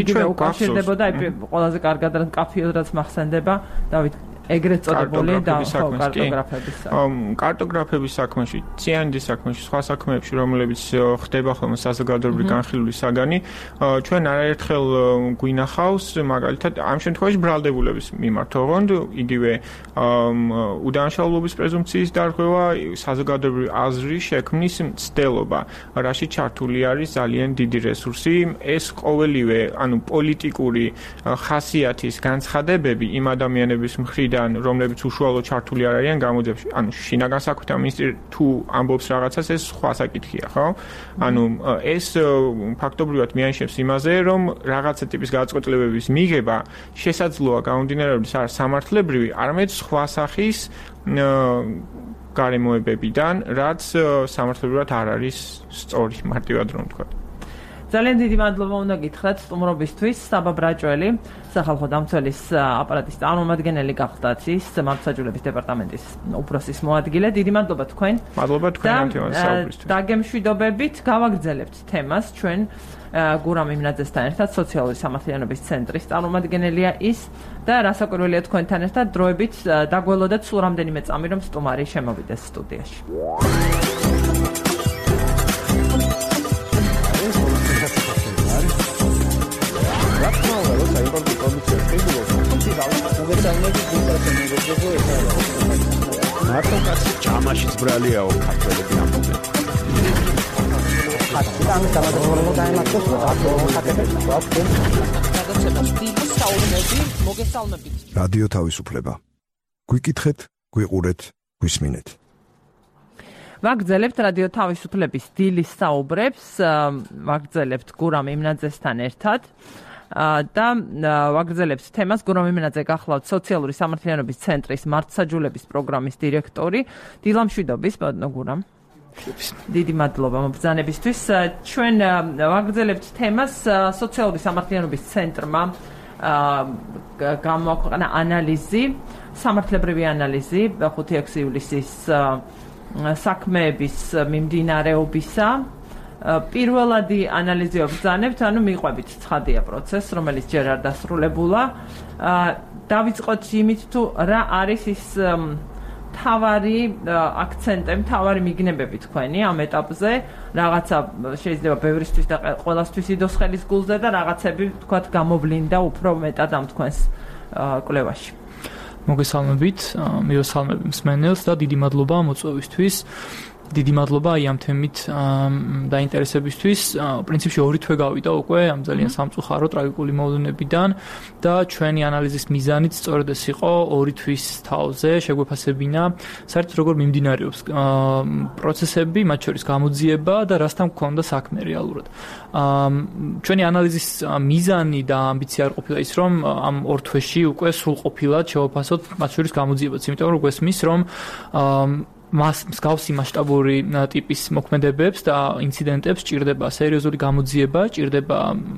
იგივე უკავშირდებოდა ყველაზე კარგად რაც კაფეოდაც მახსენდება დავით ეგრეთ წოდებული და კარტოგრაფების კარტოგრაფების საქმეში, ციანდის საქმეში, სხვა საქმეებში, რომლებიც ხდება ხოლმე საზოგადოებრივი განხილული საგანი, ჩვენ არაერთხელ გვინახავს, მაგალითად, ამ შემთხვევაში ბრალდებულების მიმართ, ოღონდ იგივე უდანაშაულობის პრეზუმპციის დარღვევა, საზოგადოებრივი აზრის შექმნის მცდელობა, რაში ჩართული არის ძალიან დიდი რესურსი, ეს ყოველივე, ანუ პოლიტიკური ხასიათის განცხადებები იმ ადამიანების მხრიდან რომლებიც უშუალოდ ჩართული არ არიან გამოძიებაში. ანუ შინაგან საქმეთა მინისტრი თუ ამბობს რაღაცას, ეს სხვა საკითხია, ხო? ანუ ეს ფაქტობრივად მიანიშნებს იმაზე, რომ რაღაცა ტიპის გადაწყვეტილებების მიღება შესაძლოა გამომდინარეობის არ სამართლებრივი, არამედ სხვა სახის გარემოებებიდან, რაც სამართლებრივად არ არის სწორი, მარტივად რომ ვთქვა. ძალიან დიდი მადლობა უნდა გითხრათ სტუმრობისთვის. საბა ბრაჭველი, სახალხო დამცველის აპარატის წარმომადგენელი გახდათ ის მართლმსაჯულების დეპარტამენტის უფროსის მოადგილე. დიდი მადლობა თქვენ. მადლობა თქვენ ამ თემაზე საუბრისთვის. დაგემშვიდობებით გავაგრძელებთ თემას ჩვენ გურამ იმნაძესთან ერთად სოციალური სამართლიანობის ცენტრის წარმომადგენელია ის და რასაკვირველია თქვენთან ერთად დროებით დაგველოდეთ სულ რამდენიმე წამი რომ სტუმარი შემოვიდეს სტუდიაში. მარტო ჯამაშიც ბრალიაო ქართველები ამბობენ. რადიო თავისუფლება. გვიკითხეთ, გვიყურეთ, გვისმინეთ. ვაგრძელებთ რადიო თავისუფლების დილის საუბრებს, ვაგრძელებთ გურამ იმნაძესთან ერთად. და ვაგრძელებთ თემას გურამ იმნაძე გახლავთ სოციალური სამართლიანობის ცენტრის მართლმსაჯულების პროგრამის დირექტორი. დილამშვიდობის, ბატონო გურამ. დიდი მადლობა მობრძანებისთვის. ჩვენ ვაგრძელებთ თემას სოციალური სამართლიანობის ცენტრმა გამოაქვეყნა ანალიზი, სამართლებრივი ანალიზი ხუთი ექვსი ივლისის საქმეების მიმდინარეობისა. პირველადი ანალიზი ვბრძანებთ, ანუ მიყვებით ცხადია პროცესს, რომელიც ჯერ არ დასრულებულა. დავიწყოთ იმით, თუ რა არის ის მთავარი აქცენტები, მთავარი მიგნებები თქვენი ამ ეტაპზე, რაღაცა შეიძლება ბევრისთვის და ყველასთვის იდოს ხელის გულზე და რაღაცები თქვათ გამოვლინდა უფრო მეტად ამ თქვენს კვლევაში. მოგესალმებით, მივესალმები მსმენელს და დიდი მადლობა მოწვევისთვის. დიდი მადლობა აი ამ თემით დაინტერესებისთვის. პრინციპში ორი თვე გავიდა უკვე ამ ძალიან სამწუხარო ტრაგიკული მოვლენებიდან და ჩვენი ანალიზის მიზანიც სწორედ ეს იყო ორი თვის თავზე შეგვეფასებინა საერთოდ როგორ მიმდინარეობს პროცესები, მათ შორის გამოძიება და რასთან გქონდა საქმე რეალურად. ჩვენი ანალიზის მიზანი და ამბიცია არ ყოფილა ის, რომ ამ ორ თვეში უკვე სრულყოფილად შევაფასოთ მათ შორის გამოძიებაც, იმიტომ რომ გვესმის, რომ მას მსგავსი მასშტაბური ტიპის მოქმედებებს და ინციდენტებს ჭირდება სერიოზული გამოძიება, ჭირდება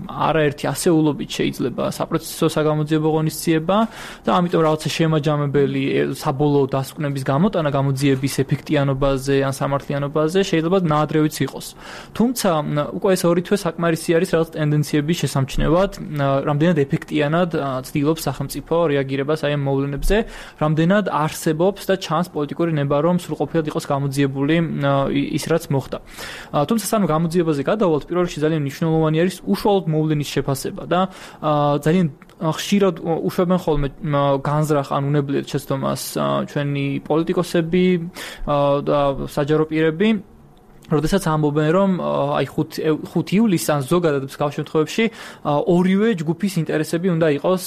არაერთი ასეულობით შეიძლება საპროცესო საგამოძიებო ღონისძიება და ამიტომ რაღაცა შემაჯამებელი საბოლოო დასკვნების გამოტანა გამოძიების ეფექტიანობაზე ან სამართლიანობაზე შეიძლება ნაადრევიც იყოს. თუმცა უკვე ეს ორი თვე საკმარისი არის რაღაც ტენდენციების შესამჩნევად, რამდენად ეფექტიანად ცდილობს სახელმწიფო რეაგირებას აი ამ მოვლენებზე, რამდენად არსებობს და ჩანს პოლიტიკური ნება, რომ სრულყოფილად იყოს გამოძიებული ის რაც მოხდა. თუმცა სანამ გამოძიებაზე გადავალთ, პირველ რიგში ძალიან მნიშვნელოვანი არის უშუალოდ მოვლენის შეფასება და ძალიან ხშირად უშვებენ ხოლმე განზრახ ან უნებლიეთ შეცდომას ჩვენი პოლიტიკოსები და საჯარო პირები, როდესაც ამბობენ, რომ აი ხუთი ივლისს ან ზოგადად მსგავს შემთხვევებში ორივე ჯგუფის ინტერესები უნდა იყოს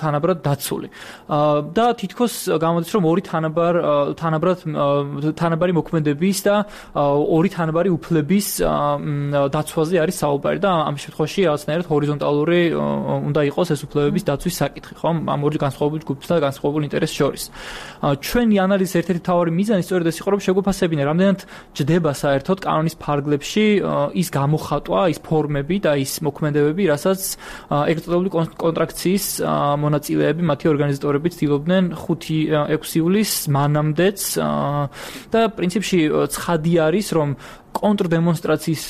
თანაბრად დაცული. და თითქოს გამოდის, რომ ორი თანაბარ თანაბრად თანაბარი მოქმედების და ორი თანაბარი უფლების დაცვაზე არის საუბარი და ამ შემთხვევაში რაღაცნაირად ჰორიზონტალური უნდა იყოს ეს უფლებების დაცვის საკითხი, ხო? ამ ორი განსხვავებული ჯგუფის და განსხვავებული ინტერესის შორის. ჩვენი ანალიზის ერთ-ერთი მთავარი მიზანი სწორედ ეს იყო, რომ შეგვეფასებინა, რამდენად ჯდება საერთოდ კანონის ფარგლებში ის გამოხატვა, ის ფორმები და ის მოქმედებები, რასაც ეგრეთ წოდებული კონტრაქციის მონაწილეები, მათი ორგანიზატორები ცდილობდნენ ხუთი ექვსი ივლისს მანამდეც და პრინციპში ცხადი არის, რომ კონტრდემონსტრაციის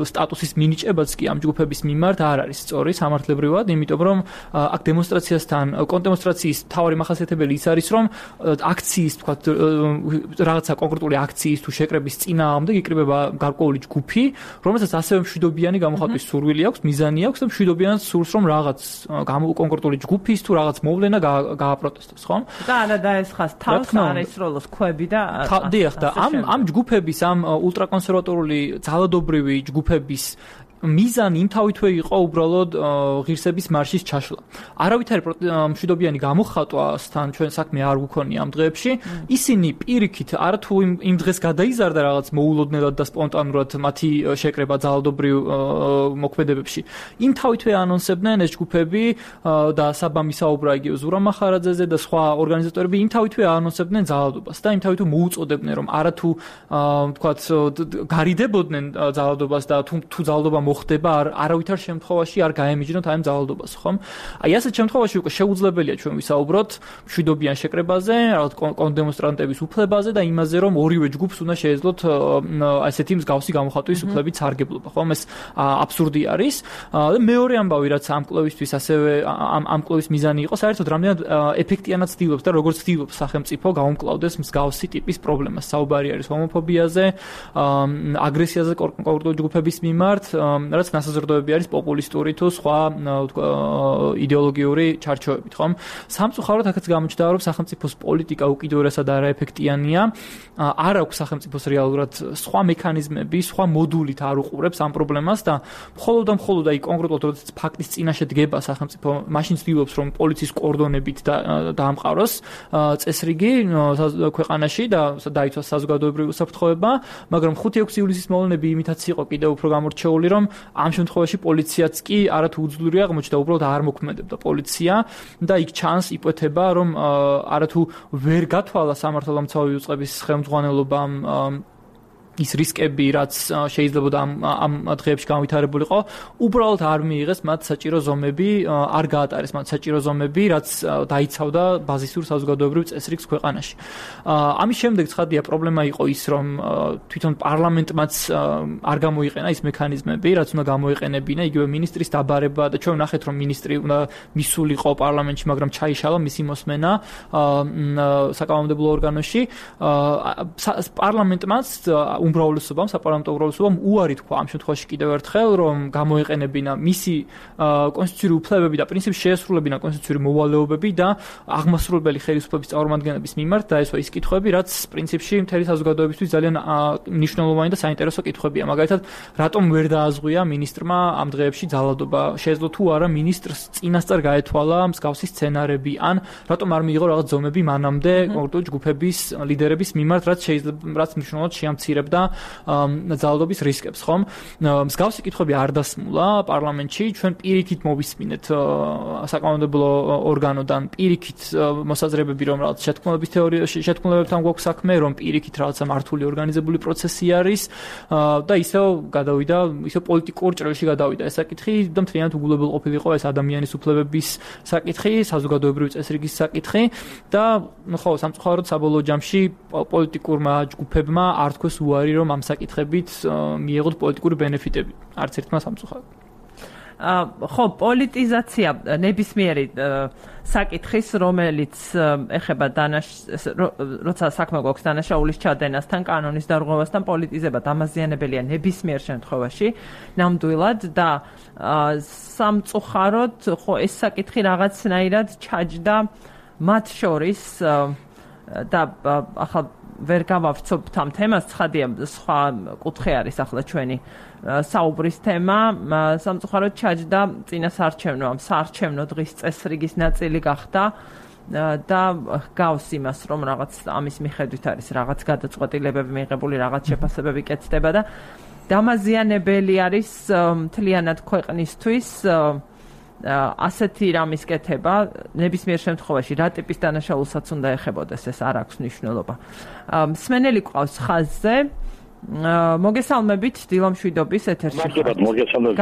სტატუსის მინიჭებაც კი ამ ჯგუფების მიმართ არ არის სწორი სამართლებრივად, იმიტომ რომ აქ დემონსტრაციასთან კონტრდემონსტრაციის მთავარი მახასიათებელი ის არის, რომ აქციის, თქვათ, რაღაცა კონკრეტული აქციის თუ შეკრების წინააღმდეგ იკრიბება გარკვეული ჯგუფი, რომელსაც ასევე მშვიდობიანი გამოხატვის სურვილი აქვს, მიზანი აქვს და მშვიდობიანად სურს, რომ რაღაც კონკრეტული ჯგუფის თუ რაღაც მოვლენა გააპროტესტოს, ხო? და არა დაესხას თავს არ ესროლოს ქვები და დიახ, და ამ ამ ჯგუფების ამ ულტრაკონსერვატიული ძალადობრივი ჯგუფების მიზანი იმთავითვე იყო უბრალოდ ღირსების მარშის ჩაშლა. არავითარი მშვიდობიანი გამოხატვასთან ჩვენ საქმე არ გვქონია ამ დღეებში. ისინი პირიქით არათუ იმ დღეს გადაიზარდა რაღაც მოულოდნელად და სპონტანურად მათი შეკრება ძალადობრივ მოქმედებებში. იმთავითვე ანონსებდნენ ეს ჯგუფები და საბამი საუბრა იგივე ზურამ მახარაძეზე და სხვა ორგანიზატორები იმთავითვე ანონსებდნენ ძალადობას და იმთავითვე მოუწოდებდნენ, რომ არათუ თქვათ გარიდებოდნენ ძალადობას და თუ თუ ძალადობა მოხდება არავითარ შემთხვევაში არ გაემიჯნოთ აი ამ ძალადობას, ხომ? აი ასეთ შემთხვევაში უკვე შეუძლებელია ჩვენ ვისაუბროთ მშვიდობიან შეკრებაზე, რაღაც კონდემონსტრანტების უფლებაზე და იმაზე, რომ ორივე ჯგუფს უნდა შეეძლოთ ასეთი მსგავსი გამოხატვის უფლებით სარგებლობა, ხომ? ეს აბსურდი არის. და მეორე ამბავი, რაც ამ კვლევისთვის ასევე ამ ამ კვლევის მიზანი იყო, საერთოდ რამდენად ეფექტიანად ცდილობს და როგორც ცდილობს სახელმწიფო გაუმკლავდეს მსგავსი ტიპის პრობლემას. საუბარი არის ჰომოფობიაზე, აგრესიაზე კონკრეტული ჯგუფების მიმართ, რაც ნასაზრდოები არის პოპულისტური თუ სხვა იდეოლოგიური ჩარჩოებით, ხომ? სამწუხაროდ აქაც გამოჩნდა, რომ სახელმწიფოს პოლიტიკა უკიდურესად არაეფექტიანია. არ აქვს სახელმწიფოს რეალურად სხვა მექანიზმები, სხვა მოდულით არ უყურებს ამ პრობლემას და მხოლოდ და მხოლოდ აი კონკრეტულად როდესაც ფაქტის წინაშე დგება სახელმწიფო, მაშინ ცდილობს, რომ პოლიციის კორდონებით დაამყაროს წესრიგი ქვეყანაში და დაიცვას საზოგადოებრივი უსაფრთხოება, მაგრამ ხუთი ექვსი ივლისის მოვლენები იმითაც იყო კიდევ უფრო გამორჩეული, რომ ამ შემთხვევაში პოლიციაც კი არათუ უძლური აღმოჩნდა, უბრალოდ არ მოქმედებდა პოლიცია და იქ ჩანს იპოთება, რომ არათუ ვერ გათვალა სამართალდამცავი უწყების ხელმძღვანელობამ ის რისკები, რაც შეიძლება ამ ამ დღეებში განვითარებულიყო, უბრალოდ არ მიიღეს მათ საჭირო ზომები, არ გაატარეს მათ საჭირო ზომები, რაც დაიცავდა ბაზისურ საზოგადოებრივ წესრიგს ქვეყანაში. ამის შემდეგ ცხადია პრობლემა იყო ის, რომ თვითონ პარლამენტმაც არ გამოიყენა ის მექანიზმები, რაც უნდა გამოიყენებინა, იგივე მინისტრის დაბარება და ჩვენ ვნახეთ, რომ მინისტრი უნდა მისულიყო პარლამენტში, მაგრამ ჩაიშალა მისი მოსმენა საკანონმდებლო ორგანოში. პარლამენტმაც უმრავლესობამ, საპარლამენტო უმრავლესობამ უარი თქვა ამ შემთხვევაში კიდევ ერთხელ, რომ გამოიყენებინა მისი კონსტიტუციური უფლებები და პრინციპში შეესრულებინა კონსტიტუციური მოვალეობები და აღმასრულებელი ხელისუფლების წარმომადგენლების მიმართ დაესვა ის კითხვები, რაც პრინციპში მთელი საზოგადოებისთვის ძალიან მნიშვნელოვანი და საინტერესო კითხვებია. მაგალითად, რატომ ვერ დააზღვია მინისტრმა ამ დღეებში ძალადობა? შეეძლო თუ არა მინისტრს წინასწარ გაეთვალა მსგავსი სცენარები, ან რატომ არ მიიღო რაღაც ზომები მანამდე კონკრეტული ჯგუფების ლიდერების მიმართ, რაც შეიძლება რაც მნიშვნელოვნად შეამცირებდა იცნობდა ძალადობის რისკებს, ხომ? მსგავსი კითხვები არ დასმულა პარლამენტში, ჩვენ პირიქით მოვისმინეთ საკანონმდებლო ორგანოდან პირიქით მოსაზრებები, რომ რაღაც შეთქმულების თეორიაში შეთქმულებებთან გვაქვს საქმე, რომ პირიქით რაღაცა მართული ორგანიზებული პროცესი არის და ისევ გადავიდა, ისევ პოლიტიკურ ჭრილში გადავიდა ეს საკითხი და მთლიანად უგულებელყოფილიყო ეს ადამიანის უფლებების საკითხი, საზოგადოებრივი წესრიგის საკითხი და ხო, სამწუხაროდ საბოლოო ჯამში პოლიტიკურმა ჯგუფებმა არ თქვეს უარი, რომ ამ საკითხებით მიიღოთ პოლიტიკური ბენეფიტები. არც ერთმა სამწუხაროდ. ხო, პოლიტიზაცია ნებისმიერი საკითხის, რომელიც ეხება დანაშაულის, როცა საქმე გვაქვს დანაშაულის ჩადენასთან, კანონის დარღვევასთან, პოლიტიზება დამაზიანებელია ნებისმიერ შემთხვევაში, ნამდვილად და სამწუხაროდ, ხო, ეს საკითხი რაღაცნაირად ჩაჯდა მათ შორის და ახლა ვერ გავავრცობთ ამ თემას, ცხადია, სხვა კუთხე არის ახლა ჩვენი საუბრის თემა, სამწუხაროდ ჩაჯდა წინასაარჩევნო, ამ საარჩევნო დღის წესრიგის ნაწილი გახდა და გავს იმას, რომ რაღაც ამის მიხედვით არის რაღაც გადაწყვეტილებები მიღებული, რაღაც შეფასებები კეთდება და დამაზიანებელი არის მთლიანად ქვეყნისთვის ასეთი რამის კეთება, ნებისმიერ შემთხვევაში რა ტიპის დანაშაულსაც უნდა ეხებოდეს, ეს არ აქვს მნიშვნელობა. მსმენელი ყავს ხაზზე. მოგესალმებით დილამშვიდობის ეთერში. მადლობა, მოგესალმებით.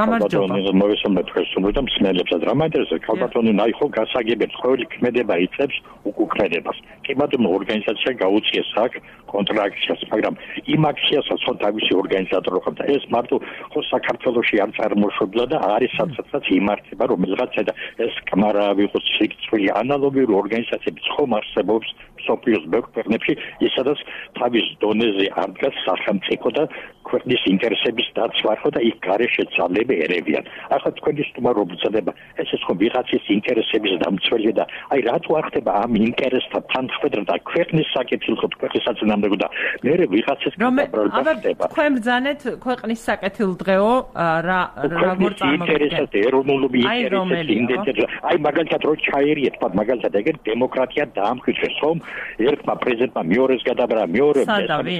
მოგესალმებით თქვენს და მსმენელებსაც. რა მაინტერესებს, ქალბატონი ნაიხო გასაგებებს, ყოველი ქმედება იწევს უკუქმედებას. კლიმატურ ორგანიზაცია გაუწიეს აქ კონტრაქციას, მაგრამ იმ აქციასაც ხო თავისი ორგანიზატორი ხომ და ეს მარტო ხო საქართველოში არ წარმოშობილა და არის სადაც იმართება, რომელიღაც და ეს კამარა ვიყოს შეგვიძლია ანალოგიური ორგანიზაციები ხომ არსებობს სოფიოს ბექფერნებში, ისედაც თავის დონეზე არ დგას სახელმწიფო და ქვეყნის ინტერესების დაცვა ხო და იქ გარეშე ძალები ერევიან. ახლა თქვენი სტუმარობა, ეს ეს ხო ვიღაცის ინტერესების დამცველია და აი რატო არ ხდება ამ ინტერესთა თანხმდევრ და ქვეყნის საკეთილ ხო ქვეყნის საწინააღმდეგო და მე ვიღაცის გადაბრალება ხდება. თქვენ ბრძანეთ ქვეყნის საკეთილ დღეო რა როგორ წარმოგიდგენთ ეროვნული ინტერესები. აი მაგალითად რო ჩაერიეთ, მაგალითად ეგერ დემოკრატია დაამკვიდრეს ხომ? ერთმა პრეზიდენტმა მეორეს გადაბრა, მეორე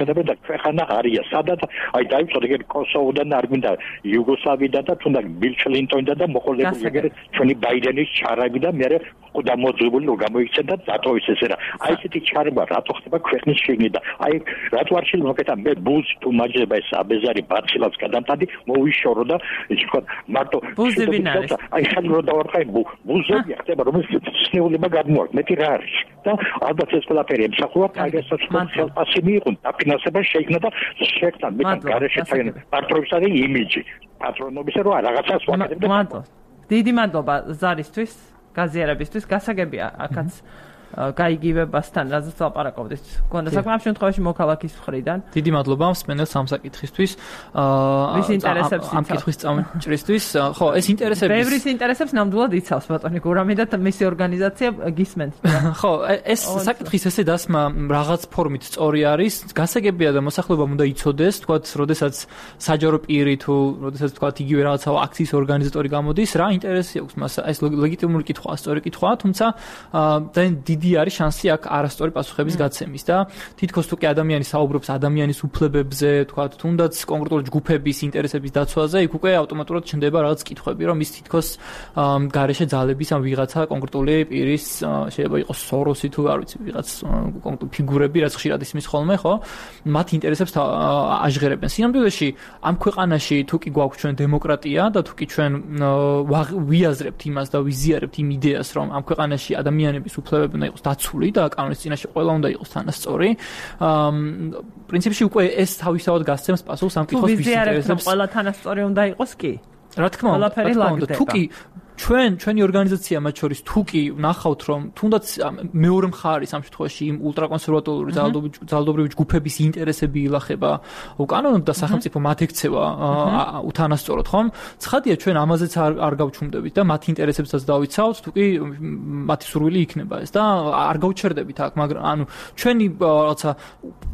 გადაბრა და ქვეყანა არია. სადაც აი დაიწყო ეგერ კოსოვოდან არ გვინდა იუგოსლავიიდან და თუნდაც ბილ კლინტონიდან და მოყოლებული ეგერ ჩვენი ბაიდენის ჩარები და მე ყოდა მოძებული რომ გამოიქცენ და დატოვის ესე რა. აი ესეთი ჩარება რატო ხდება ქვეყნის შიგნით და აი რატო არ შეიძლება მოკეთა მე ბუზ თუ მაჯება ეს აბეზარი ბაცილაც გადამტადი მოვიშორო და ის თქვა მარტო აი ხან რო დავარხაი ბუზები ხდება რომელიც სნეულება გადმოაქვს მეტი რა არის და ალბათ ეს ყველაფერი ემსახურა პაგესაც ხელფასი მიიღონ დაფინანსება შეიქმნა და შექმნა მე გარეშე თან პატრონებისა და იმიჯი პატრონობისა რო რაღაცას ვაკეთებ და დიდი მადლობა ზარისთვის გაზიარებისთვის გასაგებია აქაც გაიგივებასთან რაზეც ლაპარაკობდით. გონდა საქმე ამ შემთხვევაში მოქალაქის მხრიდან. დიდი მადლობა მსმენელს ამ საკითხისთვის. ვის ინტერესებს ამ კითხვის წამჭრისთვის. ხო, ეს ინტერესებს ბევრის ინტერესებს ნამდვილად იცავს ბატონი გურამი და მისი ორგანიზაცია გისმენთ. ხო, ეს საკითხის ესე დასმა რაღაც ფორმით სწორი არის. გასაგებია და მოსახლეობამ უნდა იცოდეს, თქვათ, როდესაც საჯარო პირი თუ როდესაც თქვათ იგივე რაღაცა აქციის ორგანიზატორი გამოდის, რა ინტერესი აქვს მას? ეს ლეგიტიმური კითხვაა, სწორი კითხვაა, თუმცა და დიდი არის შანსი აქ არასწორი პასუხების გაცემის და თითქოს თუ კი ადამიანი საუბრობს ადამიანის უფლებებზე, თქვათ, თუნდაც კონკრეტული ჯგუფების ინტერესების დაცვაზე, იქ უკვე ავტომატურად ჩნდება რაღაც კითხვები, რომ ის თითქოს გარეშე ძალების ან ვიღაცა კონკრეტული პირის შეიძლება იყოს სოროსი თუ არ ვიცი, ვიღაც კონკრეტული ფიგურები, რაც ხშირად ისმის ხოლმე, ხო? მათ ინტერესებს აჟღერებენ. სინამდვილეში ამ ქვეყანაში თუ კი გვაქვს ჩვენ დემოკრატია და თუ კი ჩვენ ვიაზრებთ იმას და ვიზიარებთ იმ იდეას, რომ ამ ქვეყანაში ადამიანების უფლებები უნდა იყოს დაცული და კანონის წინაშე ყველა უნდა იყოს თანასწორი. პრინციპში უკვე ეს თავისთავად გასცემს პასუხს ამ კითხვის ვის ინტერესებს. ყველა თანასწორი უნდა იყოს კი? რა თქმა უნდა, თუ კი ჩვენ ჩვენი ორგანიზაცია მათ შორის თუ კი ნახავთ რომ თუნდაც მეორე მხარის ამ შემთხვევაში იმ ულტრაკონსერვატორული ძალადობრივი ჯგუფების ინტერესები ილახება უკანონოდ და სახელმწიფო მათ ექცევა უთანასწოროდ ხომ? ცხადია ჩვენ ამაზეც არ არ გავჩუმდებით და მათ ინტერესებსაც დავიცავთ თუ კი მათი სურვილი იქნება ეს და არ გავჩერდებით აქ მაგრამ ანუ ჩვენი რაღაცა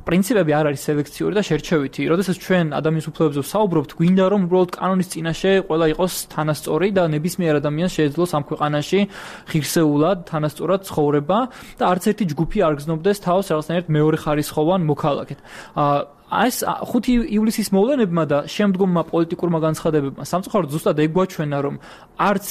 პრინციპები არ არის სელექციური და შერჩევითი. როდესაც ჩვენ ადამიანის უფლებებზე ვსაუბრობთ, გვინდა რომ უბრალოდ კანონის წინაშე ყველა იყოს თანასწორი და ნებისმიერ ადამიანს შეეძლოს ამ ქვეყანაში ღირსეულად, თანასწორად ცხოვრება და არც ერთი ჯგუფი არ გზნობდეს თავს რაღაცნაირად მეორე ხარისხოვან მოქალაქედ. ეს ხუთი ივლისის მოვლენებმა და შემდგომმა პოლიტიკურმა განცხადებებმა სამწუხაროდ ზუსტად ეგ გვაჩვენა, რომ არც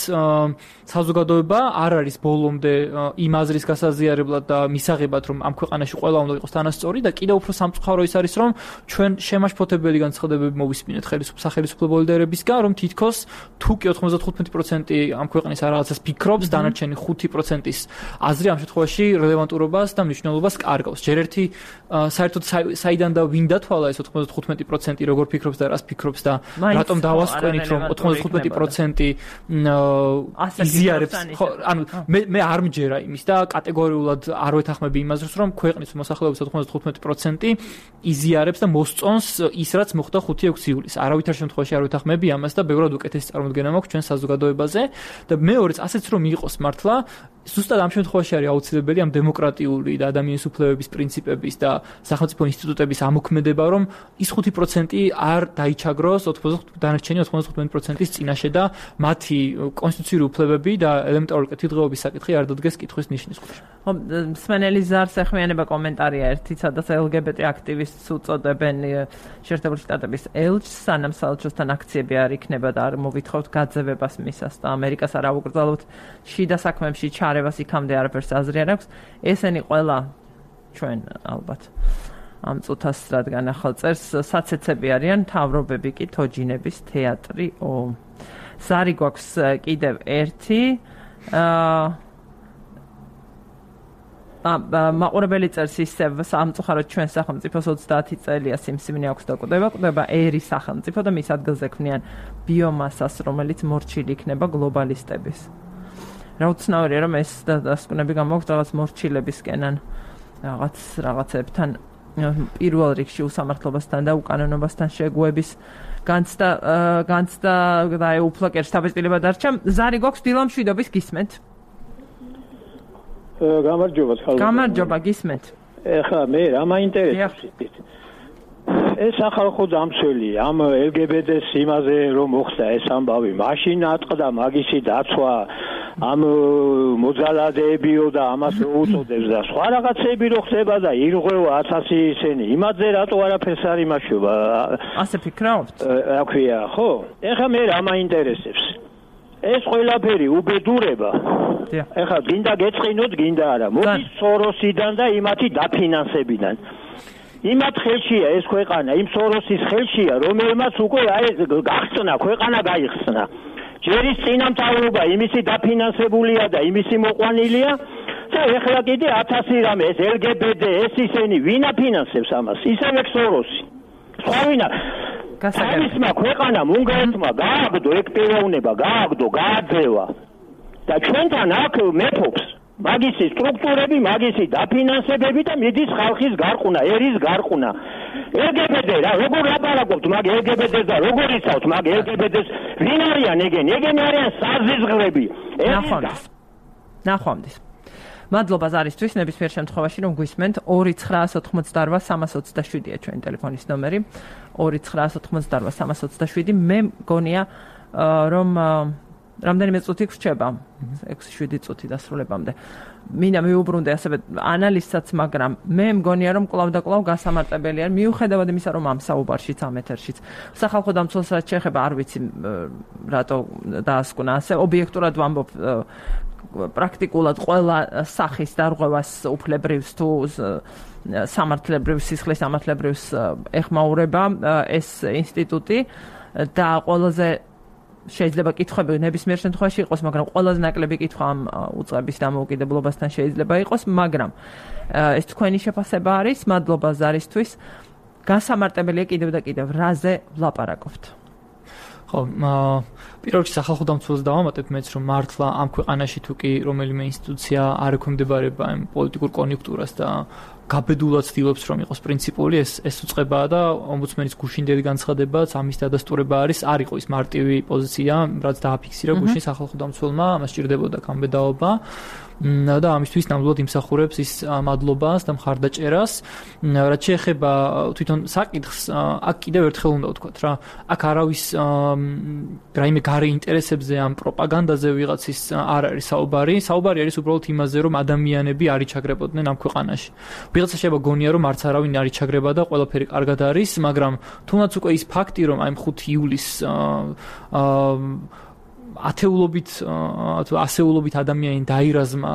საზოგადოება არ არის ბოლომდე იმ აზრის გასაზიარებლად და მისაღებად, რომ ამ ქვეყანაში ყველა უნდა იყოს თანასწორი და კიდევ უფრო სამწუხარო ის არის, რომ ჩვენ შემაშფოთებელი განცხადებები მოვისმინეთ სახელმწიფო ლიდერებისგან, რომ თითქოს თუ კი ოცდათხუთმეტი პროცენტი ამ ქვეყნის რაღაცას ფიქრობს, დანარჩენი ხუთი პროცენტის აზრი ამ შემთხვევაში რელევანტურობას და მნიშვნელობას კარგავს. ჯერ ერთი საერთოდ საიდან და ვინ დათვალა ეს ოცდათხუთმეტი პროცენტი როგორ ფიქრობს და რას ფიქრობს და რატომ დავასკვენით, რომ ოცდათხუთმეტი პროცენტი იზიარებს, ხო, ანუ მე მე არ მჯერა იმის და კატეგორიულად არ ვეთანხმები იმას, რომ ქვეყნის მოსახლეობის ოცდათხუთმეტი პროცენტი იზიარებს და მოსწონს ის, რაც მოხდა ხუთი-ექვსი ივლისს. არავითარ შემთხვევაში არ ვეთანხმები ამას და ბევრად უკეთესი წარმოდგენა მაქვს ჩვენ საზოგადოებაზე და მეორეც ასეც რომ იყოს მართლა ზუსტად ამ შემთხვევაში არის აუცილებელი ამ დემოკრატიული და ადამიანის უფლებების პრინციპების და სახელმწიფო ინსტიტუტების ამოქმედება, რომ ის ხუთი პროცენტი არ დაიჩაგროს დანარჩენი ოცდათხუთმეტი პროცენტის წინაშე და მათი კონსტიტუციური უფლებები და ელემენტარული კეთილდღეობის საკითხი არ დადგეს კითხვის ნიშნის ქვეშ. ხო, მსმენელი ზარს ეხმიანება კომენტარია ერთი, სადაც ელ გი ბი ტი აქტივისტს უწოდებენ შეერთებული შტატების ელჩს, სანამ საელჩოსთან აქციები არ იქნება და არ მოვითხოვთ გაძევებას მისას და ამერიკას არ აუკრძალოთ შიდა საქმეებში ჩარევას იქამდე არაფერს აზრი არ აქვს. ესენი ყველა ჩვენ ალბათ ამ წუთას რადგან ახალ წერს საცეცები არიან, მთავრობები კი თოჯინების თეატრი. ო ზარი გვაქვს კიდევ ერთი აა მაყურებელი წერს ისევ სამწუხაროდ ჩვენ სახელმწიფოს ოცდაათი წელია სიმსივნე აქვს და კვდება, კვდება ერი სახელმწიფო და მის ადგილზე ქმნიან ბიომასას, რომელიც მორჩილი იქნება გლობალისტების. რა უცნაურია, რომ ეს დასკვნები გამოაქვს რაღაც მორჩილებისკენან რაღაც რაღაცებთან პირველ რიგში უსამართლობასთან და უკანონობასთან შეგუების განცდა განცდა და ეუფლაკერს დაბეჭდილება დარჩა. ზარი გვაქვს დილამშვიდობის გისმენთ. გამარჯობა ხალხო. გამარჯობა გისმენთ. ეხლა მე რა მაინტერესებს ეს ახალხო დამცველი ამ ელ გი ბი ტი-ს იმაზე რომ მოხდა ეს ამბავი, მაშინ ატყდა მაგისი დაცვა ამ მოძალადეებიო და ამას უწოდებს და სხვა რაღაცები რო ხდება და ირღვევა ათასი ისენი, იმაზე რატო არაფერს არ იმაშობა? ასე ფიქრობთ? რა ქვია, ხო? ეხლა მე რა მაინტერესებს? ეს ყველაფერი უბედურება. ეხლა გინდა გეწყინოთ, გინდა არა. მოდის სოროსიდან და იმათი დაფინანსებიდან. იმათ ხელშია ეს ქვეყანა, იმ სოროსის ხელშია, რომელმაც უკვე აი გახსნა, ქვეყანა გაიხსნა. ჯერ ის წინამთავრობა იმისი დაფინანსებულია და იმისი მოყვანილია და ეხლა კიდე ათასი რამე ეს ელ გი ბი ტი, ეს ისენი ვინ აფინანსებს ამას? ისევე სოროსი. სხვა ვინა? გასაგებია ქვეყანამ უნგრეთმა გააგდო ეგ პიროვნება, გააგდო, გააძევა. და ჩვენთან აქ მეფობს მაგისი სტრუქტურები, მაგისი დაფინანსებები და მიდის ხალხის გარყუნა, ერის გარყუნა. ელ გი ბი ტი რა, როგორ ლაპარაკობთ მაგ ელ გი ბი ტი-ს და როგორ იცავთ მაგ ელ გი ბი ტი-ს? ვინ არიან ეგენი? ეგენი არიან საზიზღრები. ნახვამდის. ნახვამდის. მადლობა ზარისთვის, ნებისმიერ შემთხვევაში რომ გვისმენთ. ორი ცხრაას ოთხმოცდაოთხ სამას ოცდაშვიდია ჩვენი ტელეფონის ნომერი. ორი ცხრაას ოთხმოცდაოთხ სამას ოცდაშვიდი. მე მგონია რომ რამდენიმე წუთი გრჩება, ექვსი შვიდი წუთი დასრულებამდე. მინდა მიუბრუნდე ასევე ანალიზსაც, მაგრამ მე მგონია რომ კვლავ და კვლავ გასამარტებელია, მიუხედავად იმისა, რომ ამ საუბარშიც, ამ ეთერშიც სახალხო დამცველს რაც შეეხება, არ ვიცი რატო დაასკვნა ასე, ობიექტურად ვამბობ, პრაქტიკულად ყველა სახის დარღვევას უფლებრივს თუ სამართლებრივ სისხლის სამართლებრივს ეხმაურება ეს ინსტიტუტი და ყველაზე შეიძლება კითხვები ნებისმიერ შემთხვევაში იყოს, მაგრამ ყველაზე ნაკლები კითხვა ამ უწყების დამოუკიდებლობასთან შეიძლება იყოს, მაგრამ ეს თქვენი შეფასება არის. მადლობა ზარისთვის. გასამარტებელია კიდევ და კიდევ რაზე ვლაპარაკობთ? ხო, პირველ რიგში სახალხო დამცველს დავამატებ მეც, რომ მართლა ამ ქვეყანაში თუ კი რომელიმე ინსტიტუცია არ ექვემდებარება იმ პოლიტიკურ კონიუნქტურას და გაბედულად ცდილობს რომ იყოს პრინციპული, ეს ეს უწყებაა და ომბუდსმენის გუშინდელი განცხადებაც ამის დადასტურება არის, არ იყო ის მარტივი პოზიცია, რაც დააფიქსირა გუშინ სახალხო დამცველმა, ამას სჭირდებოდა გამბედაობა და ამისთვის ნამდვილად იმსახურებს ის მადლობას და მხარდაჭერას. რაც შეეხება თვითონ საკითხს, აქ კიდევ ერთხელ უნდა ვთქვათ რა, აქ არავის რაიმე გარე ინტერესებზე ან პროპაგანდაზე ვიღაცის არ არის საუბარი. საუბარი არის უბრალოდ იმაზე, რომ ადამიანები არ იჩაგრებოდნენ ამ ქვეყანაში. ვიღაცა შეიძლება გონია, რომ არც არავინ არ იჩაგრება და ყველაფერი კარგად არის, მაგრამ თუნდაც უკვე ის ფაქტი, რომ აი ხუთი ივლისს აა ათეულობით თუ ასეულობით ადამიანი დაირაზმა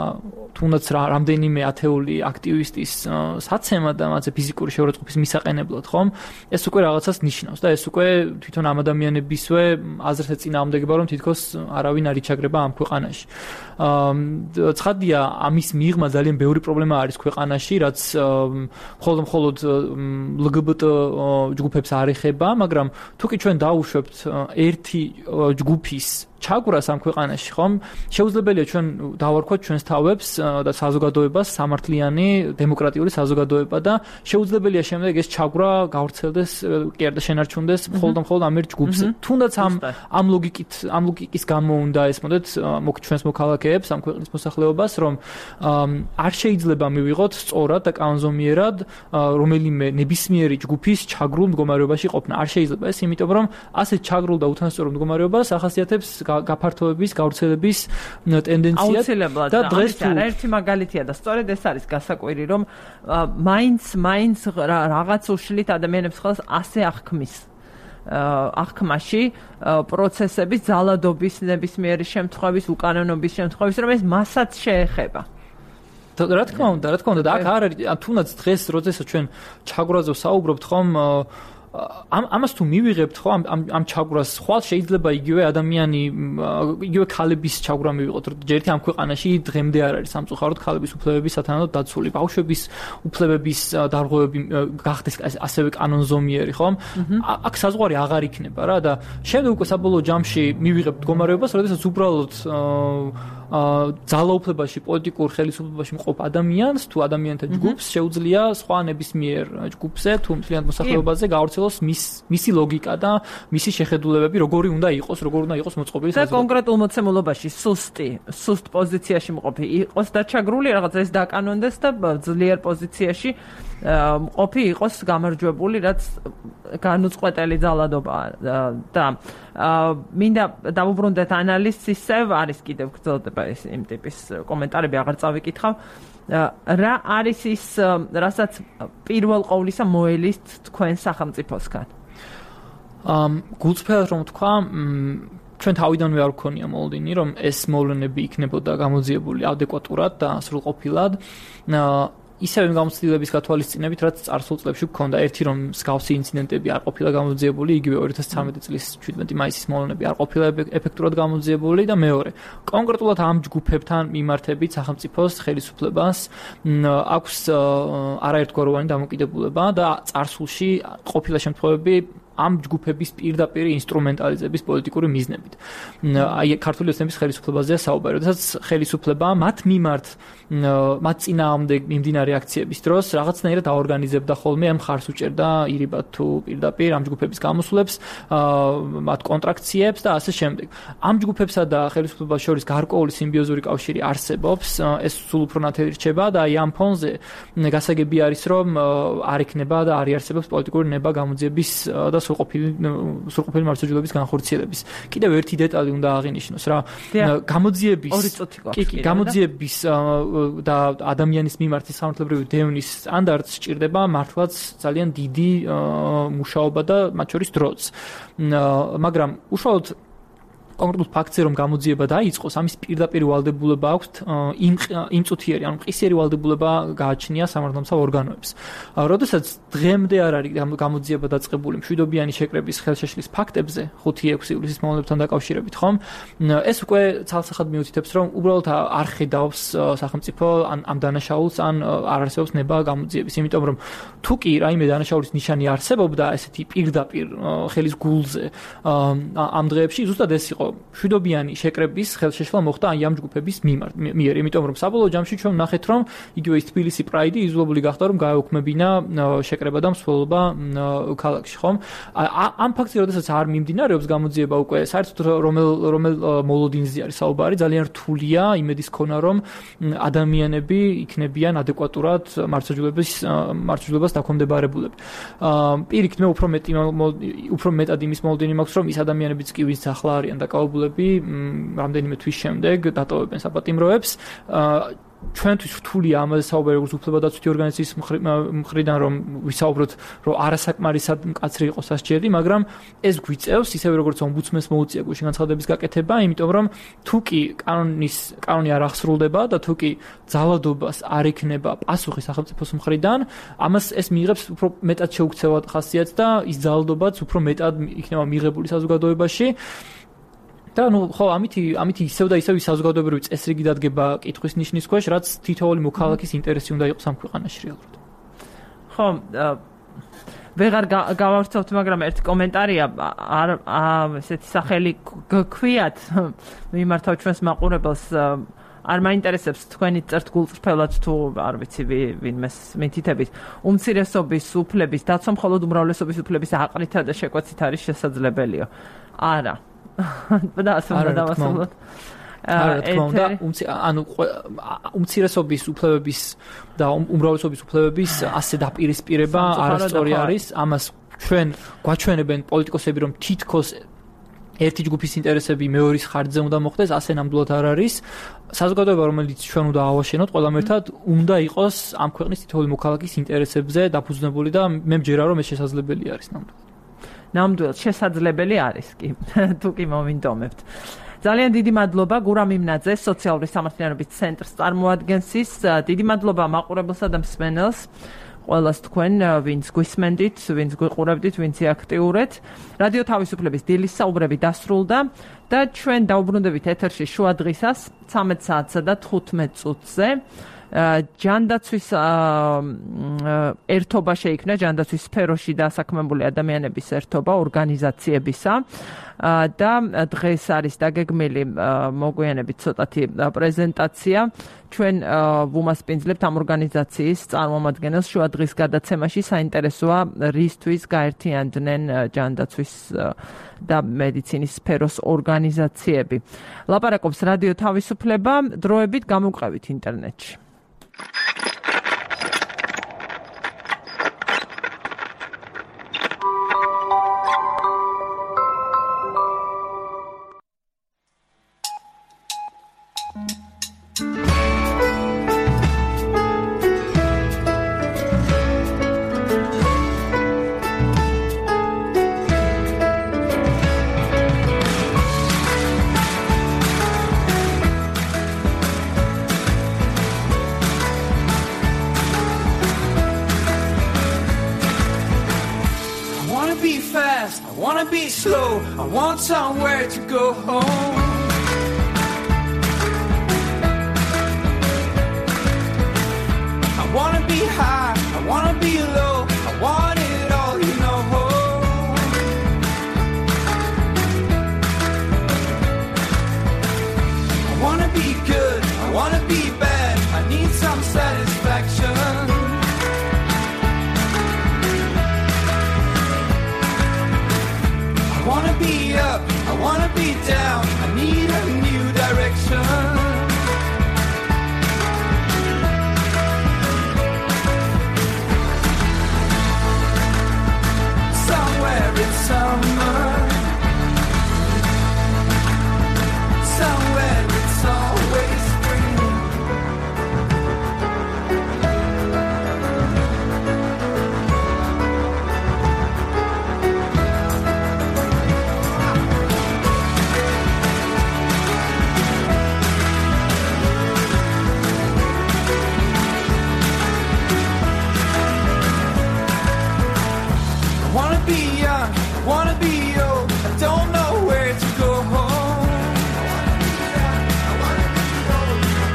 თუნდაც რამდენიმე ათეული აქტივისტის საცემა და მათზე ფიზიკური შეურაცხყოფის მისაყენებლად, ხომ? ეს უკვე რაღაცას ნიშნავს და ეს უკვე თვითონ ამ ადამიანებისვე აზრს ეწინააღმდეგება, რომ თითქოს არავინ არ იჩაგრება ამ ქვეყანაში. ცხადია, ამის მიღმა ძალიან ბევრი პრობლემა არის ქვეყანაში, რაც მხოლოდ მხოლოდ ლგბტ ჯგუფებს არ ეხება, მაგრამ თუ კი ჩვენ დავუშვებთ ერთი ჯგუფის ჩაგვრას ამ ქვეყანაში, ხომ? შეუძლებელია ჩვენ დავარქვათ ჩვენს თავებს და საზოგადოებას სამართლიანი დემოკრატიული საზოგადოება და შეუძლებელია შემდეგ ეს ჩაგვრა გავრცელდეს, კი არა და შენარჩუნდეს მხოლოდ მხოლოდ ამ ერთ ჯგუფზე. თუნდაც ამ ამ ლოგიკით, ამ ლოგიკის გამო უნდა ესმოდეთ ჩვენს მოქალაქეებს, ამ ქვეყნის მოსახლეობას, რომ არ შეიძლება მივიღოთ სწორად და კანონზომიერად რომელიმე ნებისმიერი ჯგუფის ჩაგრულ მდგომარეობაში ყოფნა. არ შეიძლება ეს, იმიტომ რომ ასეთ ჩაგრულ და უთანასწორო მდგომარეობას ახასიათებს გაფართოების, გავრცელების ტენდენცია და დღეს ერთი მაგალითია და სწორედ ეს არის გასაკვირი, რომ მაინც მაინც რაღაც უშლით ადამიანებს ხელს ასე აღქმის აღქმაში პროცესების ძალადობის ნებისმიერი შემთხვევის, უკანონობის შემთხვევის, რომ ეს მასაც შეეხება. რა თქმა უნდა, რა თქმა უნდა, და აქ არ არის, თუნდაც დღეს, როდესაც ჩვენ ჩაგვრაზე საუბრობთ, ხომ ამ ამას თუ მივიღებთ ხო ამ ამ ჩაგვრას ხვალ შეიძლება იგივე ადამიანი იგივე ქალების ჩაგვრა მივიღოთ ჯერ ერთი ამ ქვეყანაში დღემდე არ არის სამწუხაროდ ქალების უფლებების სათანადოდ დაცული ბავშვების უფლებების დარღვევები გახდეს ასევე კანონზომიერი ხო აქ საზღვარი აღარ იქნება რა და შემდეგ უკვე საბოლოო ჯამში მივიღებთ მდგომარეობას როდესაც უბრალოდ ძალაუფლებაში პოლიტიკურ ხელისუფლებაში მყოფ ადამიანს თუ ადამიანთა ჯგუფს შეუძლია სხვა ნებისმიერ ჯგუფზე თუ მთლიან მოსახლეობაზე გავრცელოს მის მისი ლოგიკა და მისი შეხედულებები როგორი უნდა იყოს როგორ უნდა იყოს მოწყობილი და კონკრეტულ მოცემულობაში სუსტი სუსტ პოზიციაში მყოფი იყოს და ჩაგრული რაღაც ეს დაკანონდეს და ძლიერ პოზიციაში მყოფი იყოს გამარჯვებული რაც განუწყვეტელი ძალადობა და მინდა დავუბრუნდეთ ანალიზს ისევ არის კიდევ გრძელდება ეს იმ ტიპის კომენტარები აღარ წავიკითხავ რა არის ის რასაც პირველ ყოვლისა მოელით თქვენ სახელმწიფოსგან ამ გულწრფელად რომ თქვა ჩვენ თავიდანვე არ გქონია მოლოდინი რომ ეს მოვლენები იქნებოდა გამოძიებული ადეკვატურად და სრულყოფილად ისევ იმ გამოცდილების გათვალისწინებით, რაც წარსულ წლებში გქონდა. ერთი რომ მსგავსი ინციდენტები არ ყოფილა გამოძიებული, იგივე ორი ათას ცხრამეტი წლის შვიდმეტი მაისის მოვლენები არ ყოფილა ეფექტურად გამოძიებული და მეორე, კონკრეტულად ამ ჯგუფებთან მიმართებით სახელმწიფოს ხელისუფლებას აქვს არაერთგვაროვანი დამოკიდებულება და წარსულში ყოფილა შემთხვევები ამ ჯგუფების პირდაპირ ინსტრუმენტალიზების პოლიტიკური მიზნებით. აი ქართული ოცნების ხელისუფლებაზეა საუბარი. როდესაც ხელისუფლება მათ მიმართ მათ წინააღმდეგ მიმდინარე აქციების დროს რაღაცნაირად აორგანიზებდა ხოლმე ამ მხარს უჭერდა ირიბად თუ პირდაპირ ამ ჯგუფების გამოსვლებს, მათ კონტრაქციებს და ასე შემდეგ. ამ ჯგუფებსა და ხელისუფლებას შორის გარკვეული სიმბიოზური კავშირი არსებობს, ეს სულ უფრო ნათელი რჩება და აი ამ ფონზე გასაგები არის რომ არ ექნება და არ იარსებობს პოლიტიკური ნება გამოძიების და სრულყოფილი სრულყოფილი მართლმსაჯულების განხორციელების. კიდევ ერთი დეტალი უნდა აღინიშნოს რა. გამოძიების კი კი გამოძიების და ადამიანის მიმართ სამართლებრივი დევნის სტანდარტს სჭირდება მართლაც ძალიან დიდი მუშაობა და მათ შორის დროც. მაგრამ უშუალოდ კონკრეტულ ფაქტზე რომ გამოძიება დაიწყოს, ამის პირდაპირ ვალდებულება აქვს იმ იმ წუთიერი, ანუ მყისიერი ვალდებულება გააჩნია სამართალმსაჯულო ორგანოებს. როდესაც დღემდე არ არის გამოძიება დაწყებული მშვიდობიანი შეკრების ხელშეშლის ფაქტებზე, ხუთი ექვსი ივლისის მოვლენებთან დაკავშირებით, ხომ? ეს უკვე ცალსახად მიუთითებს, რომ უბრალოდ არ ხედავს სახელმწიფო ან ამ დანაშაულს, ან არ არსებობს ნება გამოძიების, იმიტომ რომ თუ კი რაიმე დანაშაულის ნიშანი არსებობდა, ესეთი პირდაპირ ხელის გულზე ამ დღეებში ზუსტად ეს იყო მშვიდობიანი შეკრების ხელშეშლა მოხდა აი ამ ჯგუფების მიერ, იმიტომ რომ საბოლოო ჯამში ჩვენ ვნახეთ რომ იგივე ის თბილისი პრაიდი იძულებული გახდა რომ გაეუქმებინა შეკრება და მსვლელობა ქალაქში, ხომ? ამ ფაქტზე როდესაც არ მიმდინარეობს გამოძიება უკვე საერთოდ რომელ რომელ მოლოდინზე არის საუბარი, ძალიან რთულია იმედის ქონა რომ ადამიანები იქნებიან ადეკვატურად მართლმსაჯულების მართლმსაჯულებას დაქვემდებარებულები. პირიქით მე უფრო მეტი უფრო მეტად იმის მოლოდინი მაქვს რომ ის ადამიანებიც კი ვინც ახლა არიან და დაწყალბულები რამდენიმე თვის შემდეგ დატოვებენ საპატიმროებს. ჩვენთვის რთულია ამაზე საუბარი როგორც უფლებადაცვითი ორგანიზაციის მხრიდან რომ ვისაუბროთ რომ არასაკმარისად მკაცრი იყოს ასჯერი, მაგრამ ეს გვიწევს ისევე როგორც ომბუდსმენს მოუწია გუშინ განცხადების გაკეთება, იმიტომ რომ თუ კი კანონის კანონი არ აღსრულდება და თუ კი ძალადობას არ იქნება პასუხი სახელმწიფოს მხრიდან, ამას ეს მიიღებს უფრო მეტად შეუქცევად ხასიათს და ის ძალადობაც უფრო მეტად იქნება მიღებული საზოგადოებაში. და ნუ ხო ამითი ამითი ისევ და ისევ საზოგადოებრივი წესრიგი დადგება კითხვის ნიშნის ქვეშ, რაც თითოეული მოქალაქის ინტერესი უნდა იყოს ამ ქვეყანაში რეალურად. ხო, ვეღარ გავავრცელოთ, მაგრამ ერთი კომენტარია არ ესეთი სახელი გქვიათ მიმართავ ჩვენს მაყურებელს არ მაინტერესებს თქვენი წერთ გულწრფელად თუ არ ვიცი ვინმეს მითითებით უმცირესობის უფლების დაცვა მხოლოდ უმრავლესობის უფლების აყრითა და შეკვეცით არის შესაძლებელიო. არა და ასე უნდა დავასრულოთ. არა, თქმა უნდა, ანუ უმცირესობის უფლებების და უმრავლესობის უფლებების ასე დაპირისპირება არასწორი არის. ამას ჩვენ გვაჩვენებენ პოლიტიკოსები, რომ თითქოს ერთი ჯგუფის ინტერესები მეორის ხარჯზე უნდა მოხდეს, ასე ნამდვილად არ არის. საზოგადოება, რომელიც ჩვენ უნდა ავაშენოთ ყველამ ერთად, უნდა იყოს ამ ქვეყნის თითოეული მოქალაქის ინტერესებზე დაფუძნებული და მე მჯერა რომ ეს შესაძლებელი არის ნამდვილად. ნამდვილად შესაძლებელი არის კი თუ კი მომინდომებთ. ძალიან დიდი მადლობა გურამ იმნაძე სოციალური სამართლიანობის ცენტრს წარმოადგენს ის. დიდი მადლობა მაყურებელსა და მსმენელს ყველას თქვენ ვინც გვისმენდით, ვინც გვიყურებდით, ვინც აქტიურეთ. რადიო თავისუფლების დილის საუბრები დასრულდა და ჩვენ დაუბრუნდებით ეთერში შუა დღისას ცამეტ საათსა და თხუთმეტ წუთზე. ჯანდაცვის ერთობა შეიქმნა ჯანდაცვის სფეროში დასაქმებული ადამიანების ერთობა ორგანიზაციებისა და დღეს არის დაგეგმილი მოგვიანებით ცოტათი პრეზენტაცია. ჩვენ ვუმასპინძლებთ ამ ორგანიზაციის წარმომადგენელს შუა დღის გადაცემაში. საინტერესოა რისთვის გაერთიანდნენ ჯანდაცვის და მედიცინის სფეროს ორგანიზაციები. ლაპარაკობს რადიო თავისუფლება, დროებით გამოვყევით ინტერნეტში. I want somewhere to go home. I wanna be high, I wanna be low, I want it all, you know. I wanna be good, I wanna be bad, I need some satisfaction. I wanna be up, I wanna be down, I need a new direction. Somewhere in summer, somewhere it's always spring. I wanna be young, I wanna be old, I don't know where to go home. I wanna be young, I wanna be old, I don't know where to go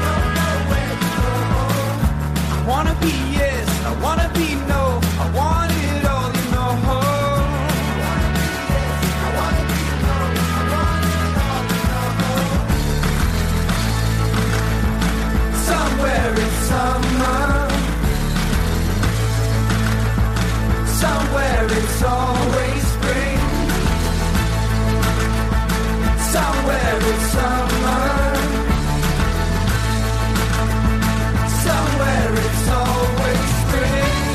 home. I wanna be yes, I wanna be no, I want it all, you know. I wanna be yes, I wanna be no, I want it all, you know. Somewhere in summer, somewhere it's always spring. Somewhere it's summer. Somewhere it's always spring.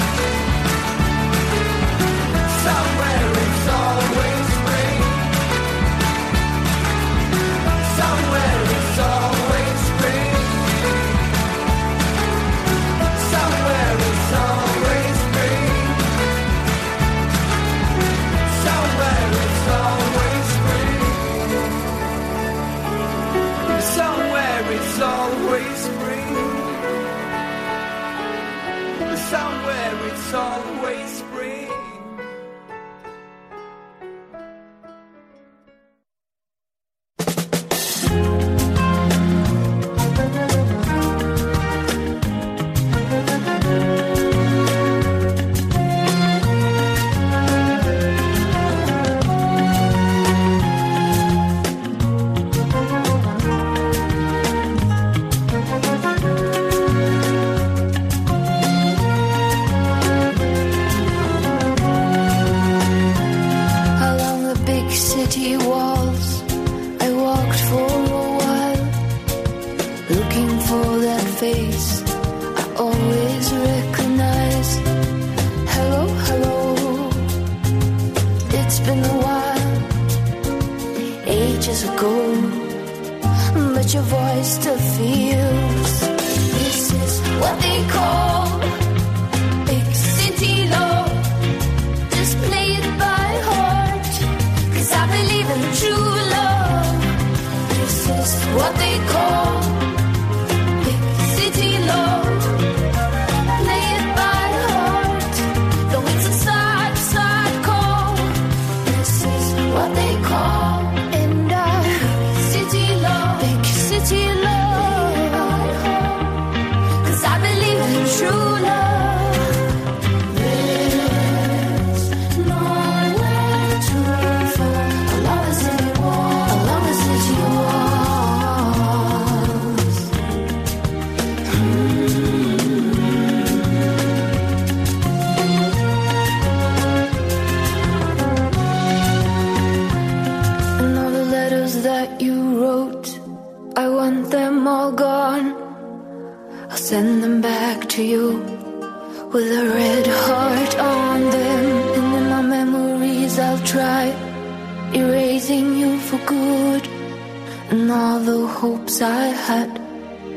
somewhere it's always spring.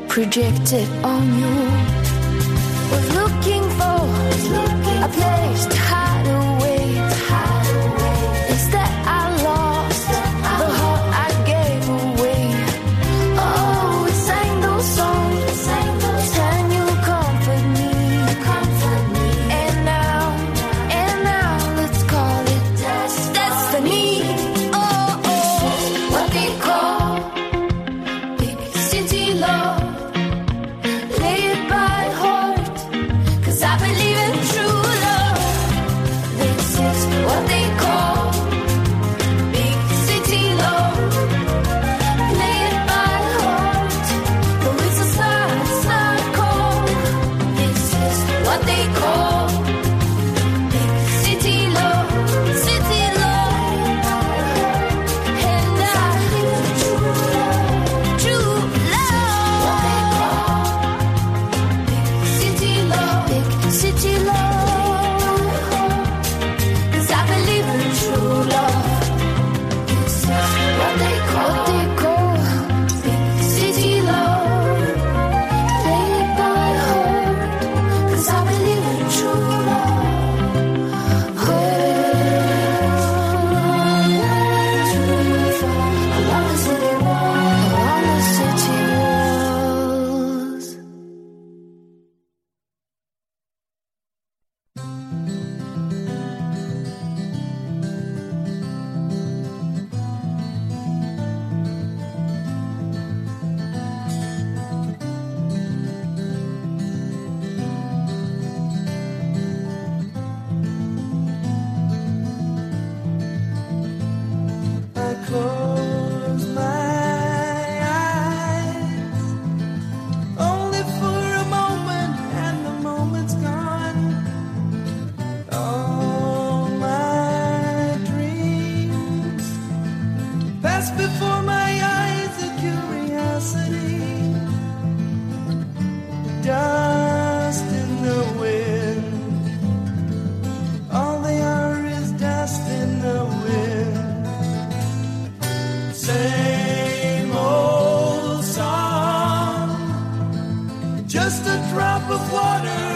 Projected on you was looking for a place to hide away. Instead I lost the heart I gave away. Oh, we sang those songs and you comfort me. And now, and now let's call it destiny. Oh, oh, what they call big city love. Just a drop of water